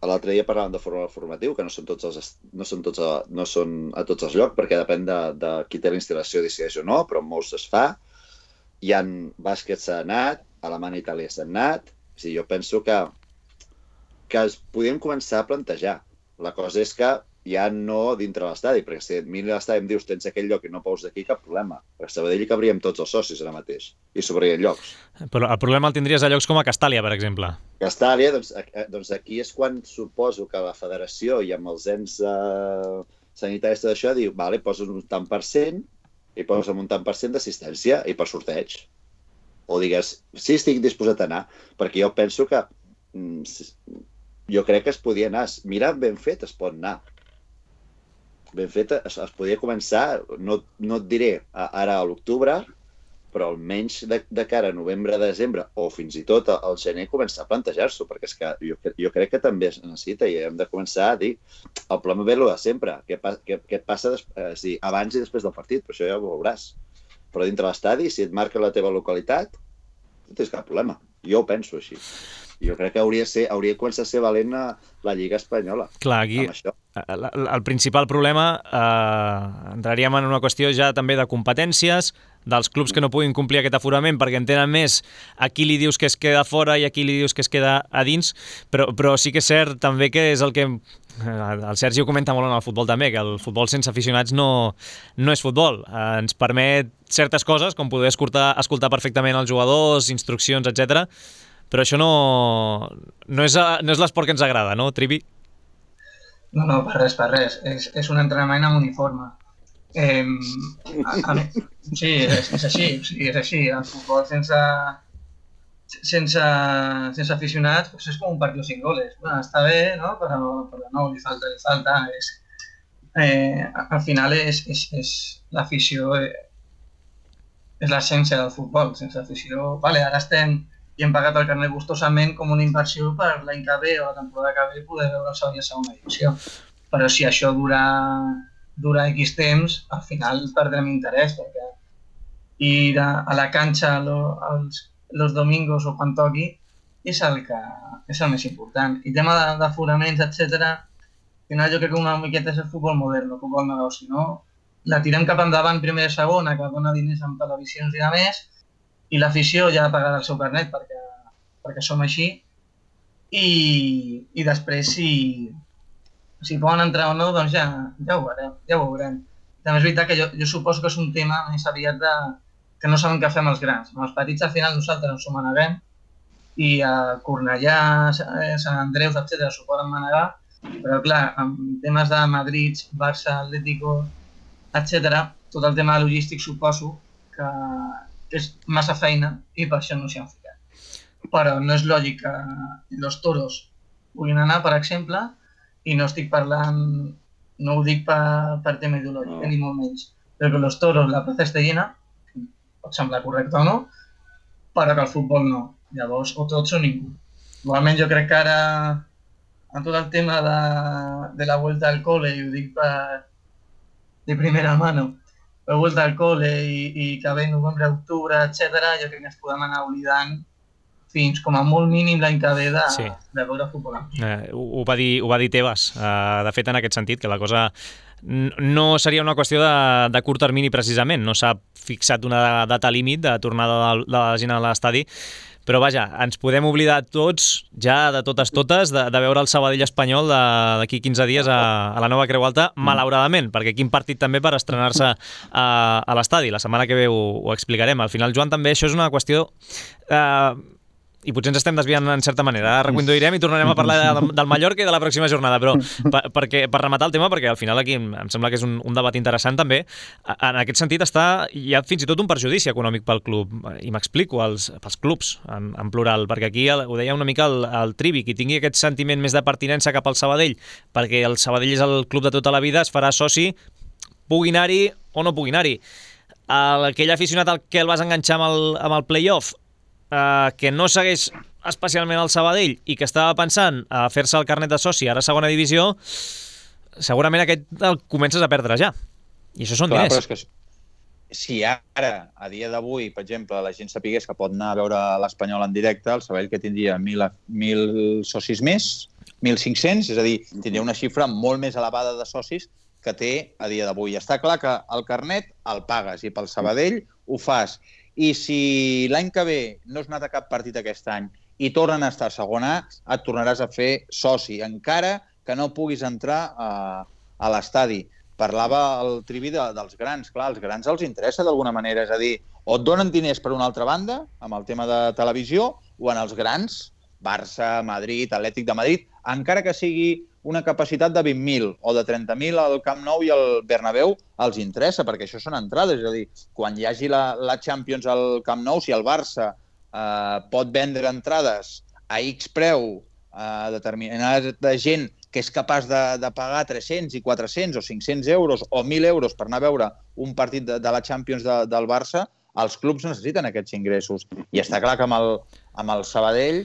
L'altre dia parlàvem de formatiu, que no són a tots els llocs, perquè depèn de qui té la instal·lació, decideix o no, però en molts es fa. Hi ha bàsquet s'ha anat, Alemanya i Itàlia s'ha anat. O sigui, jo penso que podríem començar a plantejar. La cosa és que ja no dintre l'estadi, perquè si et miri l'estadi i em dius tens aquell lloc i no pous d'aquí, cap problema. A Sabadell hi cabríem tots els socis ara mateix i sobrarien llocs. Però el problema el tindries a llocs com a Castàlia, per exemple. Castàlia, doncs aquí és quan suposo que la federació i amb els ens sanitaris tot això diu, vale, poses un tant per cent i poses un tant per cent d'assistència i per sorteig. O digues, sí, estic disposat a anar, perquè jo penso que jo crec que es podia anar. Mira, ben fet es pot anar. Ben fet es podia començar, no et diré ara a l'octubre, però almenys de cara a novembre, desembre o fins i tot al gener començar a plantejar-s'ho, perquè és que jo crec que també es necessita i hem de començar a dir el problema ve de sempre, què passa abans i després del partit, però això ja ho veuràs. Però dintre l'estadi, si et marca la teva localitat, no tens cap problema. Jo ho penso així. Jo crec que hauria de començar a ser valent la Lliga Espanyola. Clar, aquí amb això. El principal problema entraríem en una qüestió ja també de competències, dels clubs que no puguin complir aquest aforament perquè en tenen més, a qui li dius que es queda fora i a qui li dius que es queda a dins, però sí que és cert també que és el que el Sergi ho comenta molt en el futbol també, que el futbol sense aficionats no és futbol. Ens permet certes coses, com poder escoltar perfectament els jugadors, instruccions, etc. Però això no és l'esport que ens agrada, no, Trivi? No, per res. És un entrenament amb uniforme. Sí, és així. És així. El futbol sense aficionats és com un partit sin goles. Bueno, està bé, no? Però no, li falta. Al final és l'afició, és l'essència del futbol. Sense afició, vale, ara i hem pagat el carnet gustosament com una inversió per l'any que ve o la temporada que ve poder veure el segon i segona divisió. Però si això dura X temps, al final perdrem interès, perquè ir a la canxa los domingos o quan toqui és el més important. I tema d'aforaments, etc. Al final jo crec que una miqueta és el futbol modern, el futbol negoci, no? La tirem cap endavant primera i segona, que dona diners amb televisions i de més, i l'afició ja pagarà el seu carnet perquè som així i després si poden entrar o no, doncs ja ho veurem. També és veritat que jo suposo que és un tema més aviat que no saben què fer amb els grans. Amb els petits al final nosaltres ens ho maneguem i a Cornellà, Sant Andreus, etc. s'ho poden manegar, però clar, amb temes de Madrid, Barça, Atlético, etc. tot el tema logístic suposo que és massa feina i per això no s'hi han ficat. Però no és lògic que els toros puguin anar, per exemple, i no estic parlant, no ho dic per tema ideològic, ni molt menys, però que els toros, la plaça està llena, pot semblar correcte o no, però que el futbol no. Llavors, o tots o ningú. Igualment jo crec que ara, en tot el tema de la vuelta al cole, i ho dic de primera mano, la vuelta al cole i que ve novembre, octubre, etc. jo crec que ens podem anar oblidant fins com a molt mínim l'any que ve de veure futbol. Ho va dir Tebas, de fet en aquest sentit, que la cosa no seria una qüestió de curt termini precisament, no s'ha fixat una data límit de tornada de la gent a l'estadi, però vaja, ens podem oblidar tots, ja de totes, de veure el Sabadell Espanyol d'aquí 15 dies a la nova Creu Alta, malauradament, perquè quin partit també per estrenar-se a l'estadi. La setmana que ve ho explicarem. Al final, Joan, també això és una qüestió... I potser ens estem desviant en certa manera. Ara reconduirem i tornarem a parlar del Mallorca i de la pròxima jornada, però per rematar el tema, perquè al final aquí em sembla que és un debat interessant també, en aquest sentit hi ha fins i tot un perjudici econòmic pel club, i m'explico, pels clubs en plural, perquè aquí ho deia una mica el Trivi, qui tingui aquest sentiment més de pertinença cap al Sabadell, perquè el Sabadell és el club de tota la vida, es farà soci, pugui anar-hi o no pugui anar-hi. Aquell aficionat al que el vas enganxar amb el play-off, que no segueix especialment el Sabadell i que estava pensant a fer-se el carnet de soci ara a segona divisió, segurament aquest el comences a perdre ja. I això són diners. Però és que si ara, a dia d'avui, per exemple, la gent sapigués que pot anar a veure l'Espanyol en directe, el Sabadell que tindria 1.000 socis més, 1.500, és a dir, tindria una xifra molt més elevada de socis que té a dia d'avui. Està clar que el carnet el pagues i pel Sabadell ho fas. I si l'any que ve no has anat a cap partit aquest any i tornen a estar a segona A, et tornaràs a fer soci, encara que no puguis entrar a l'estadi. Parlava el Trivi dels grans. Clar, als grans els interessa d'alguna manera, és a dir, o et donen diners per una altra banda, amb el tema de televisió, o en els grans, Barça, Madrid, Atlètic de Madrid, encara que sigui una capacitat de 20.000 o de 30.000 al Camp Nou i al Bernabéu, els interessa, perquè això són entrades. És a dir, quan hi hagi la Champions al Camp Nou, si el Barça pot vendre entrades a X preu a determinada gent que és capaç de pagar 300 i 400 o 500 euros o 1.000 euros per anar a veure un partit de la Champions del Barça, els clubs necessiten aquests ingressos. I està clar que amb el Sabadell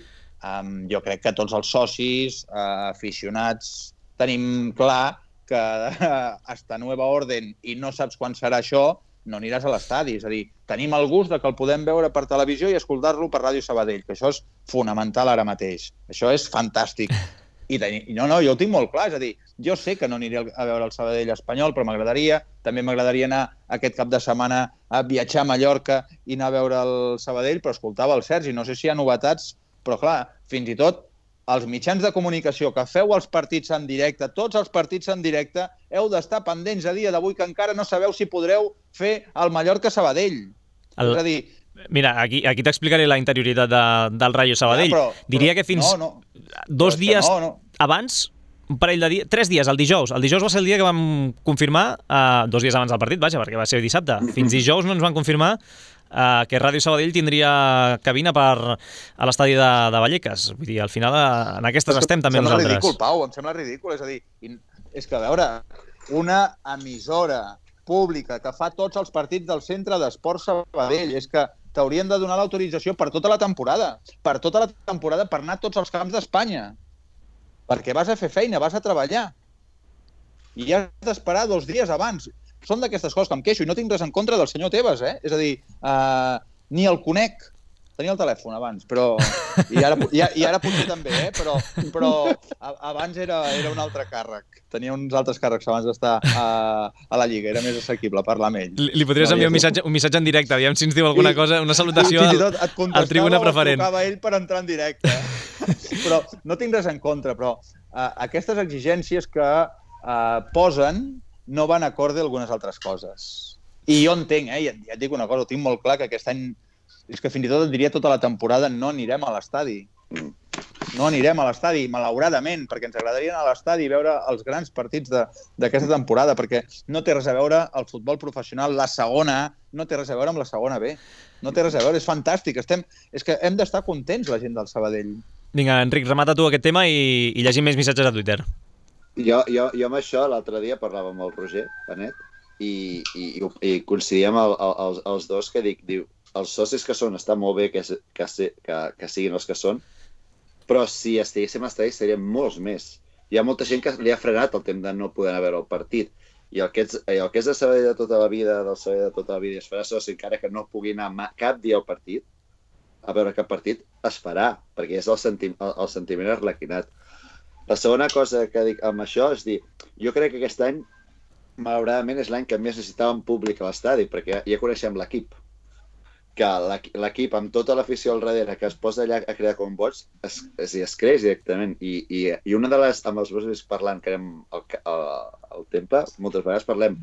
jo crec que tots els socis, aficionats, tenim clar que hasta nueva orden i no saps quan serà això, no aniràs a l'estadi. És a dir, tenim el gust que el podem veure per televisió i escoltar-lo per Ràdio Sabadell, que això és fonamental ara mateix. Això és fantàstic. No, jo ho tinc molt clar. És a dir, jo sé que no aniré a veure el Sabadell espanyol, però m'agradaria. També m'agradaria anar aquest cap de setmana a viatjar a Mallorca i anar a veure el Sabadell, però escoltava el Sergi. No sé si hi ha novetats, però clar, fins i tot els mitjans de comunicació que feu els partits en directe, tots els partits en directe, heu d'estar pendents a dia d'avui que encara no sabeu si podreu fer el Mallorca-Sabadell. És a dir... Mira, aquí t'explicaré la interioritat del Rayo Sabadell. Diria que fins 2 dies abans, un parell de dies, 3 dies, el dijous. El dijous va ser el dia que vam confirmar, 2 dies abans del partit, vaja, perquè va ser dissabte. Fins dijous no ens van confirmar que Ràdio Sabadell tindria cabina a l'estadi de Vallecas. Vull dir, al final en aquestes estem també nosaltres. Em sembla ridícul, Pau, em sembla ridícul. És a dir, és que, a veure, una emissora pública que fa tots els partits del Centre d'Esport Sabadell, és que t'haurien de donar l'autorització per tota la temporada. Per tota la temporada, per anar a tots els camps d'Espanya. Perquè vas a fer feina, vas a treballar. I has d'esperar 2 dies abans. Són d'aquestes coses que em queixo i no tinc res en contra del senyor Tebas, eh? És a dir, ni el conec. Tenia el telèfon abans, però... I ara potser també, eh? Però abans era un altre càrrec. Tenia uns altres càrrecs abans d'estar a la Lliga. Era més assequible parlar amb ell. Li podries enviar un missatge en directe, aviam si ens diu alguna cosa, una salutació al Tribuna Preferent. Et trucava ell per entrar en directe. Però no tinc res en contra, però aquestes exigències que posen no van acorde a algunes altres coses. I jo entenc, ja et dic una cosa, ho tinc molt clar, que aquest any, és que fins i tot et diria tota la temporada, no anirem a l'estadi. No anirem a l'estadi, malauradament, perquè ens agradaria anar a l'estadi i veure els grans partits d'aquesta temporada, perquè no té res a veure el futbol professional, la segona A, no té res a veure amb la segona B. No té res a veure, és fantàstic. És que hem d'estar contents, la gent del Sabadell. Vinga, Enric, remata tu aquest tema i llegim més missatges a Twitter. Jo amb això l'altre dia parlava amb el Roger Benet i coincidíem els dos que diu, els socis que són està molt bé que siguin els que són, però si estiguéssim a l'estadi serien molts més. Hi ha molta gent que li ha frenat el temps de no poder anar a veure el partit. I el que és de Sabadell de tota la vida, del Sabadell de tota la vida, es farà soci encara que no pugui anar cap dia al partit, a veure cap partit, es farà, perquè és el sentiment arlequinat. La segona cosa que dic amb això és dir, jo crec que aquest any, malauradament, és l'any que més necessitàvem públic a l'estadi, perquè ja coneixem l'equip. Que l'equip, amb tota l'afició al darrere, que es posa allà a crear combots, es creix directament. I una de les, amb els meus parlant, que érem al temple, moltes vegades parlem,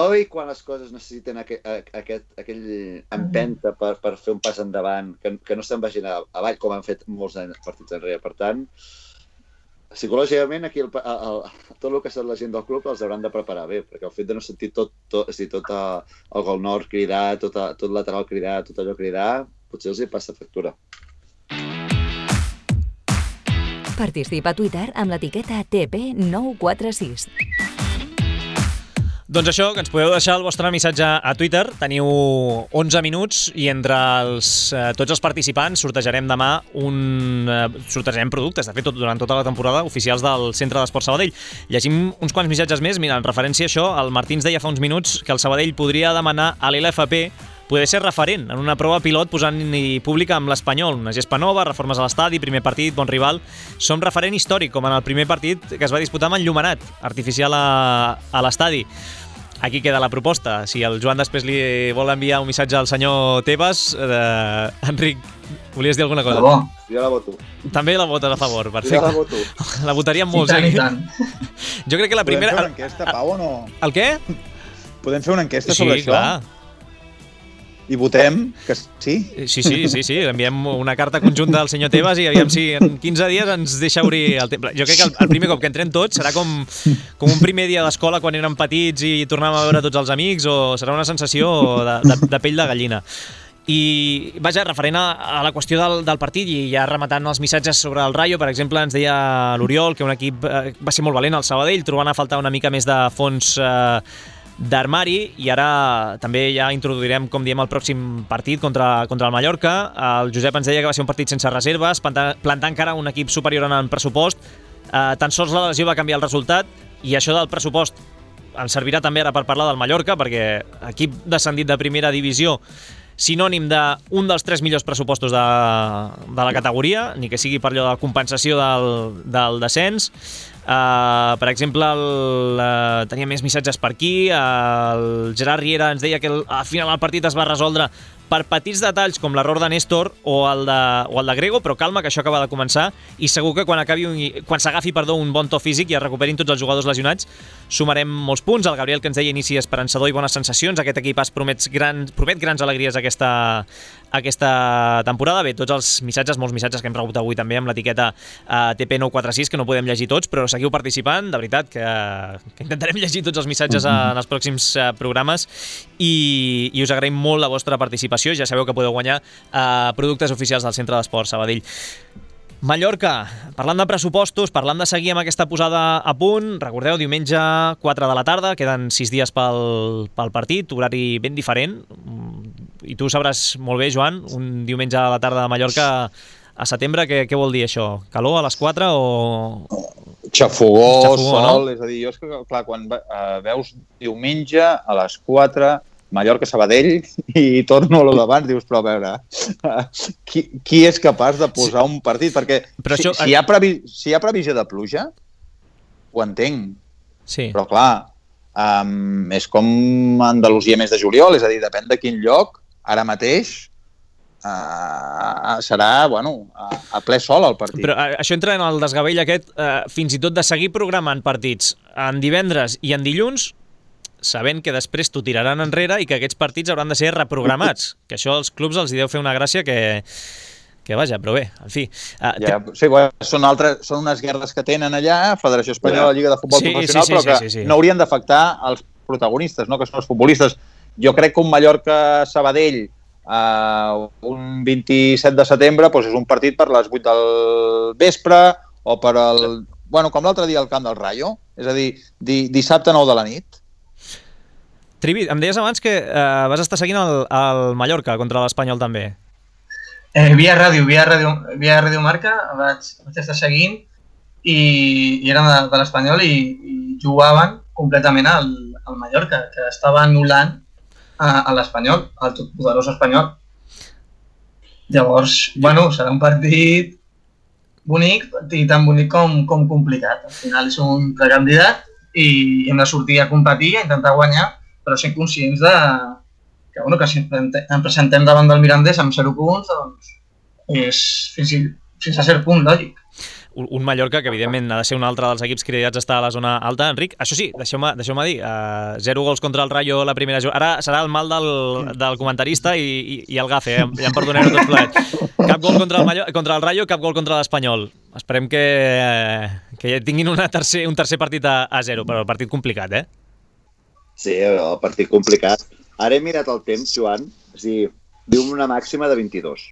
oi, quan les coses necessiten aquell empenta per fer un pas endavant, que no se'n vagin avall, com han fet molts partits enrere. Per tant, psicològicament, aquí tot el que són la gent del club els hauran de preparar bé, perquè el fet de no sentir tot el gol nord cridar, tot lateral cridar, tot allò cridar, potser els hi passa factura. Participa a Twitter amb l'etiqueta TP946. Doncs això, que ens podeu deixar el vostre missatge a Twitter. Teniu 11 minuts i entre tots els participants sortejarem demà sortejarem productes, de fet, durant tota la temporada, oficials del Centre d'Esport Sabadell. Llegim uns quants missatges més. Mira, en referència a això, el Martí ens deia fa uns minuts que el Sabadell podria demanar a l'LFP poder ser referent en una prova pilot posant-hi pública amb l'Espanyol. Una gespa nova, reformes a l'estadi, primer partit, bon rival. Som referent històric, com en el primer partit que es va disputar amb enllumenat artificial a l'estadi. aquí queda la proposta. Si el Joan després li vol enviar un missatge al senyor Tebas, Enric, volies dir alguna cosa? Jo la voto. També la votes a favor, perfecte. Jo la voto. La votaríem molts, I tant. Jo crec que la primera... Podem fer una enquesta, Pau, o no? El què? Podem fer una enquesta sobre això? Sí, clar. I votem que sí? Sí. Enviem una carta conjunta al senyor Tebas i aviam si en 15 dies ens deixa obrir el temple. Jo crec que el primer cop que entrem tots serà com un primer dia d'escola quan érem petits i tornàvem a veure tots els amics, o serà una sensació de pell de gallina. I, vaja, referent a la qüestió del partit, i ja rematant els missatges sobre el Rayo, per exemple, ens deia l'Oriol que un equip va ser molt valent al Sabadell, trobant a faltar una mica més de fons d'armari, i ara també ja introduirem, com diem, el pròxim partit contra el Mallorca. El Josep ens deia que va ser un partit sense reserves, plantar encara un equip superior en pressupost. Tan sols la lesió va canviar el resultat, i això del pressupost ens servirà també ara per parlar del Mallorca, perquè equip descendit de primera divisió, sinònim d'un dels 3 millors pressupostos de la categoria, ni que sigui per allò de compensació del descens. Per exemple, tenia més missatges per aquí. El Gerard Riera ens deia que al final el partit es va resoldre per petits detalls com l'error de Néstor o el de Grego, però calma, que això acaba de començar, i segur que quan s'agafi un bon to físic i es recuperin tots els jugadors lesionats, sumarem molts punts. El Gabriel, que ens deia inici esperançador i bones sensacions, aquest equipàs promet grans alegries aquesta temporada. Bé, tots els missatges, molts missatges que hem rebut avui també amb l'etiqueta TP946, que no podem llegir tots, però seguiu participant, de veritat, que intentarem llegir tots els missatges en els pròxims programes, i us agraïm molt la vostra participació. Ja sabeu que podeu guanyar productes oficials del Centre d'Esports Sabadell. Mallorca, parlant de pressupostos, parlant de seguir amb aquesta posada a punt, recordeu, diumenge 4 de la tarda, queden 6 dies pel partit, horari ben diferent, i tu sabràs molt bé, Joan, un diumenge a la tarda de Mallorca a setembre, què vol dir això? Calor a les 4 o... Xafogó, sol, no? És a dir, jo és que, clar, quan veus diumenge a les 4... Mallorca-Sabadell i torno a lo d'abans, dius, però a veure, qui és capaç de posar un partit? Perquè si hi ha previsió de pluja, ho entenc. Sí. Però clar, és com Andalusia mes de juliol, és a dir, depèn de quin lloc, ara mateix serà, a ple sol el partit. Però això entra en el desgavell aquest, fins i tot de seguir programant partits en divendres i en dilluns, sabent que després t'ho tiraran enrere i que aquests partits hauran de ser reprogramats, que això als clubs els hi deu fer una gràcia que vaja, però bé, en fi. Sí, són unes guerres que tenen allà, Federació Espanyola, Lliga de Futbol Professional, però que no haurien d'afectar els protagonistes, no? Que són els futbolistes. Jo crec que un Mallorca-Sabadell un 27 de setembre és un partit per les 8 del vespre o per com l'altre dia al camp del Rayo, és a dir, dissabte 9 de la nit. Trivi, em deies abans que vas estar seguint el Mallorca contra l'Espanyol també. Via ràdio Marca vaig estar seguint i érem de l'Espanyol i jugaven completament al Mallorca, que estava anul·lant a l'Espanyol, al totpoderós Espanyol. Llavors, serà un partit bonic, i tan bonic com complicat. Al final és un precandidat i hem de sortir a competir, a intentar guanyar, però sent conscients que si ens presentem davant del Mirandés amb 0 punts, doncs és fins a cert punt lògic. Un Mallorca que evidentment ha de ser un altre dels equips cridats a estar a la zona alta. Enric, això sí, deixeu-me dir, 0 gols contra el Rayo la primera jugada. Ara serà el mal del comentarista i el gafe, ja em perdoneu tots plegats. Cap gol contra el Rayo, cap gol contra l'Espanyol. Esperem que tinguin un tercer partit a 0, però el partit complicat, eh? Sí, el partit complicat. Ara he mirat el temps, Joan, diu una màxima de 22.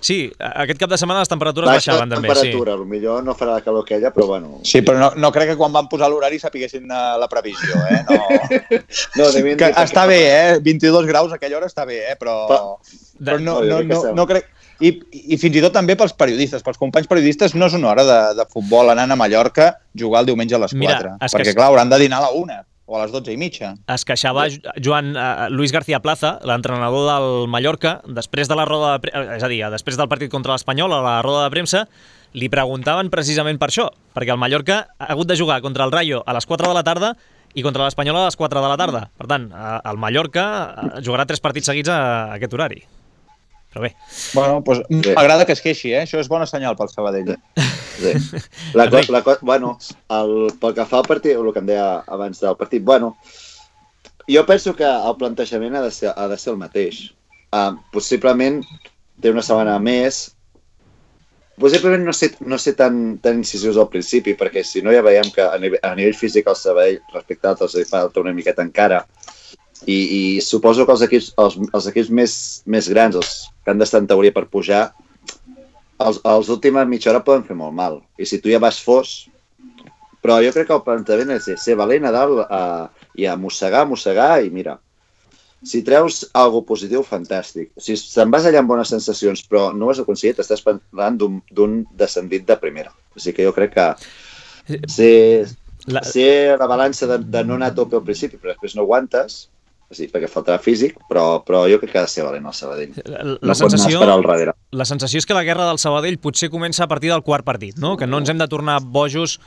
Sí, aquest cap de setmana les temperatures baixaven també. Temperatura, potser no farà la calor aquella, però bueno... Sí, però no crec que quan van posar l'horari sapiguessin la previsió, No, està bé, 22 graus a aquella hora està bé, però no crec... I fins i tot també pels periodistes, pels companys periodistes, no és una hora de futbol anant a Mallorca jugar el diumenge a les 4. Perquè, clar, hauran de dinar a la 1 o a les 12:30. Es queixava Luis García Plaza, l'entrenador del Mallorca, després de la roda de premsa, és a dir, després del partit contra l'Espanyol, a la roda de premsa, li preguntaven precisament per això, perquè el Mallorca ha hagut de jugar contra el Rayo a les 4 de la tarda i contra l'Espanyol a les 4 de la tarda. Per tant, el Mallorca jugarà 3 partits seguits a aquest horari. Però bé. Bueno, doncs m'agrada que es queixi, Això és bona senyal pel Sabadell. Sí. Bueno, pel que fa al partit, el que em deia abans del partit, bueno, jo penso que el plantejament ha de ser el mateix. Possiblement té una setmana més. Possiblement no sé tan incisius al principi, perquè si no ja veiem que a nivell físic el Sabadell, respecte a altres, falta una miqueta encara. I suposo que els equips més grans, els que han d'estar en teoria per pujar, els últimes mitja hora poden fer molt mal. I si tu ja vas fos... Però jo crec que el plantejament és ser valent a dalt i a mossegar, i mira, si treus alguna positiu, fantàstic. Si te'n vas allà amb bones sensacions, però no ho has aconseguit, estàs parlant d'un descendit de primera. O sigui que jo crec que ser la balança de no anar a tope al principi, però després no aguantes, sí, perquè faltarà físic, però jo crec que ha de ser valent el Sabadell. No pot anar a esperar al darrere. La sensació és que la guerra del Sabadell potser comença a partir del quart partit, no? Que no ens hem de tornar bojos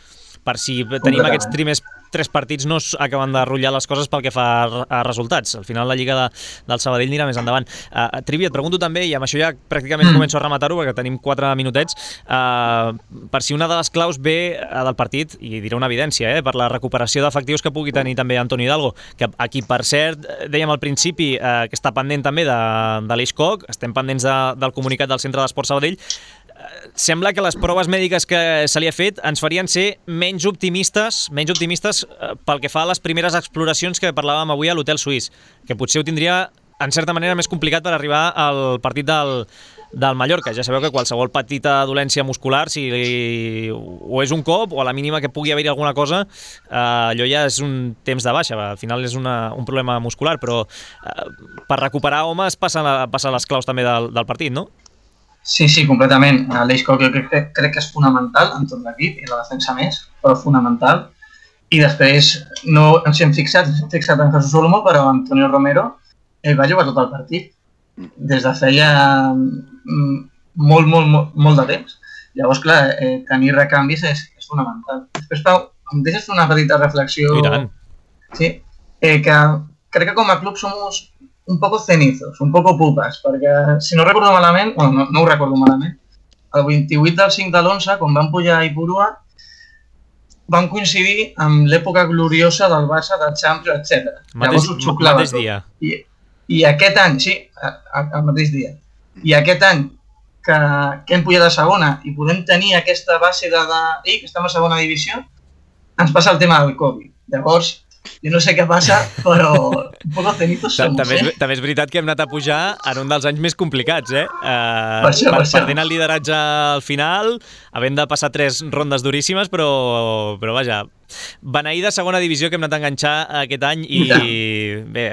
per si tenim aquests primers 3 partits no acaben de rotllar les coses pel que fa a resultats. Al final la Lliga del Sabadell anirà més endavant. Trivi, et pregunto també, i amb això ja pràcticament començo a rematar-ho perquè tenim 4 minutets, per si una de les claus ve del partit, i diré una evidència, per la recuperació d'efectius que pugui tenir també Antoni Hidalgo, que aquí, per cert, dèiem al principi que està pendent també de l'Eixcoc, estem pendents del comunicat del Centre d'Esport Sabadell. Sembla que les proves mèdiques que se li ha fet ens farien ser menys optimistes pel que fa a les primeres exploracions que parlàvem avui a l'Hotel Suís, que potser ho tindria, en certa manera, més complicat per arribar al partit del Mallorca. Ja sabeu que qualsevol petita dolència muscular, si o és un cop o a la mínima que pugui haver-hi alguna cosa, allò ja és un temps de baixa. Al final és un problema muscular, però per recuperar homes passen les claus també del partit, no? Sí, completament. L'Eixcoc jo crec que és fonamental en tot l'equip i la defensa més, però fonamental. I després no ens hem fixat en Jesús Olmo, però Antonio Romero va jugar tot el partit des de feia molt de temps. Llavors, clar, tenir recanvis és fonamental. Després, Pau, em deixes una petita reflexió? I tant. Sí, que crec que com a club som un poco cenizos, un poco pupas, perquè si no recordo malament, no ho recordo malament, el 28 del 5 de l'11, quan van pujar a Ipurua, van coincidir amb l'època gloriosa del Barça, del Champions, etc. Llavors ho xuclava tot. Dia. I aquest any, sí, el mateix dia. I aquest any que hem pujat a segona i podem tenir aquesta base que estem a segona divisió, ens passa el tema del Covid. Llavors, jo no sé què passa, però un poco cenizos somos, També és veritat que hem anat a pujar en un dels anys més complicats, Perdent el lideratge al final, havent de passar 3 rondes duríssimes, però vaja, beneïda segona divisió que hem anat a enganxar aquest any i bé...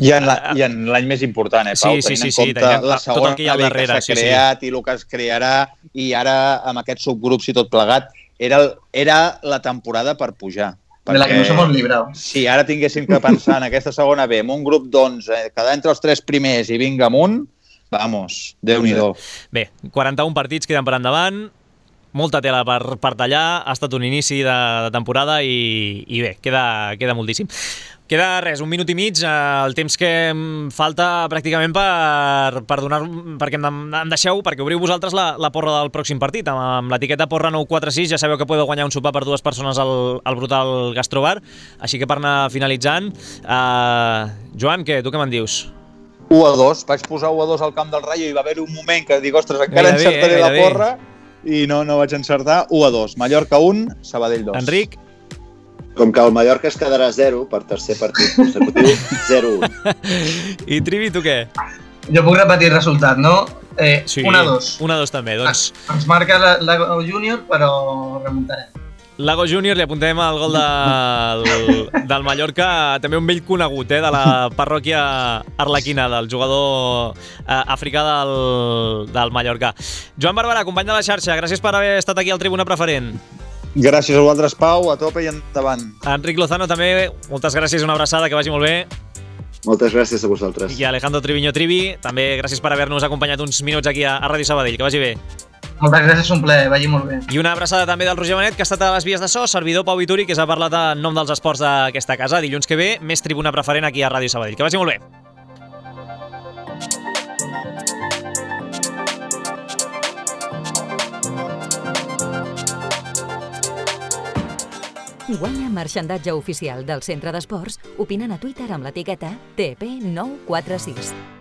I en l'any més important, Pau? Sí, tenint en compte la segona que s'ha creat i el que es crearà, i ara amb aquests subgrups i tot plegat, era la temporada per pujar. De la que nos hemos librado. Si ara tinguéssim que pensar en aquesta segona B, amb un grup d'11, quedar entre els 3 primers i vinga amunt, vamos, Déu-n'hi-do. Bé, 41 partits queden per endavant, molta tela per tallar, ha estat un inici de temporada i bé, queda moltíssim. Queda res, 1 minut i mig, el temps que em falta pràcticament per donar... perquè em deixeu, perquè obriu vosaltres la porra del pròxim partit. Amb l'etiqueta porra 946 ja sabeu que podeu guanyar un sopar per 2 persones al Brutal Gastrobar. Així que per anar finalitzant... Joan, tu què me'n dius? 1-2, vaig posar 1-2 al camp del Rayo i va haver un moment que dic, ostres, encara encertaré la porra i no vaig encertar. 1-2, Mallorca 1, Sabadell 2. Enric? Com que el Mallorca es quedarà 0 per tercer partit consecutiu, 0-1. I Trivi, tu què? Jo puc repetir el resultat, no? Sí, 1-2. 1-2 també, doncs. Ens marca Lago Júnior, però remuntarem. Lago Júnior, li apuntem el gol del Mallorca, també un vell conegut de la parròquia arlequina, del jugador africà del Mallorca. Joan Barberà, company de la xarxa, gràcies per haver estat aquí al Tribuna Preferent. Gràcies a vosaltres, Pau, a tope i endavant. Enric Lozano també, moltes gràcies, una abraçada, que vagi molt bé. Moltes gràcies a vosaltres. I Alejandro Triviño Trivi, també gràcies per haver-nos acompanyat uns minuts aquí a Ràdio Sabadell, que vagi bé. Moltes gràcies, un plaer, vagi molt bé. I una abraçada també del Roger Benet, que ha estat a les vies de so, servidor Pau Vituri, que s'ha parlat en nom dels esports d'aquesta casa. Dilluns que ve, més Tribuna Preferent aquí a Ràdio Sabadell. Que vagi molt bé. Guanya marxandatge oficial del Centre d'Esports opinant a Twitter amb l'etiqueta TP946.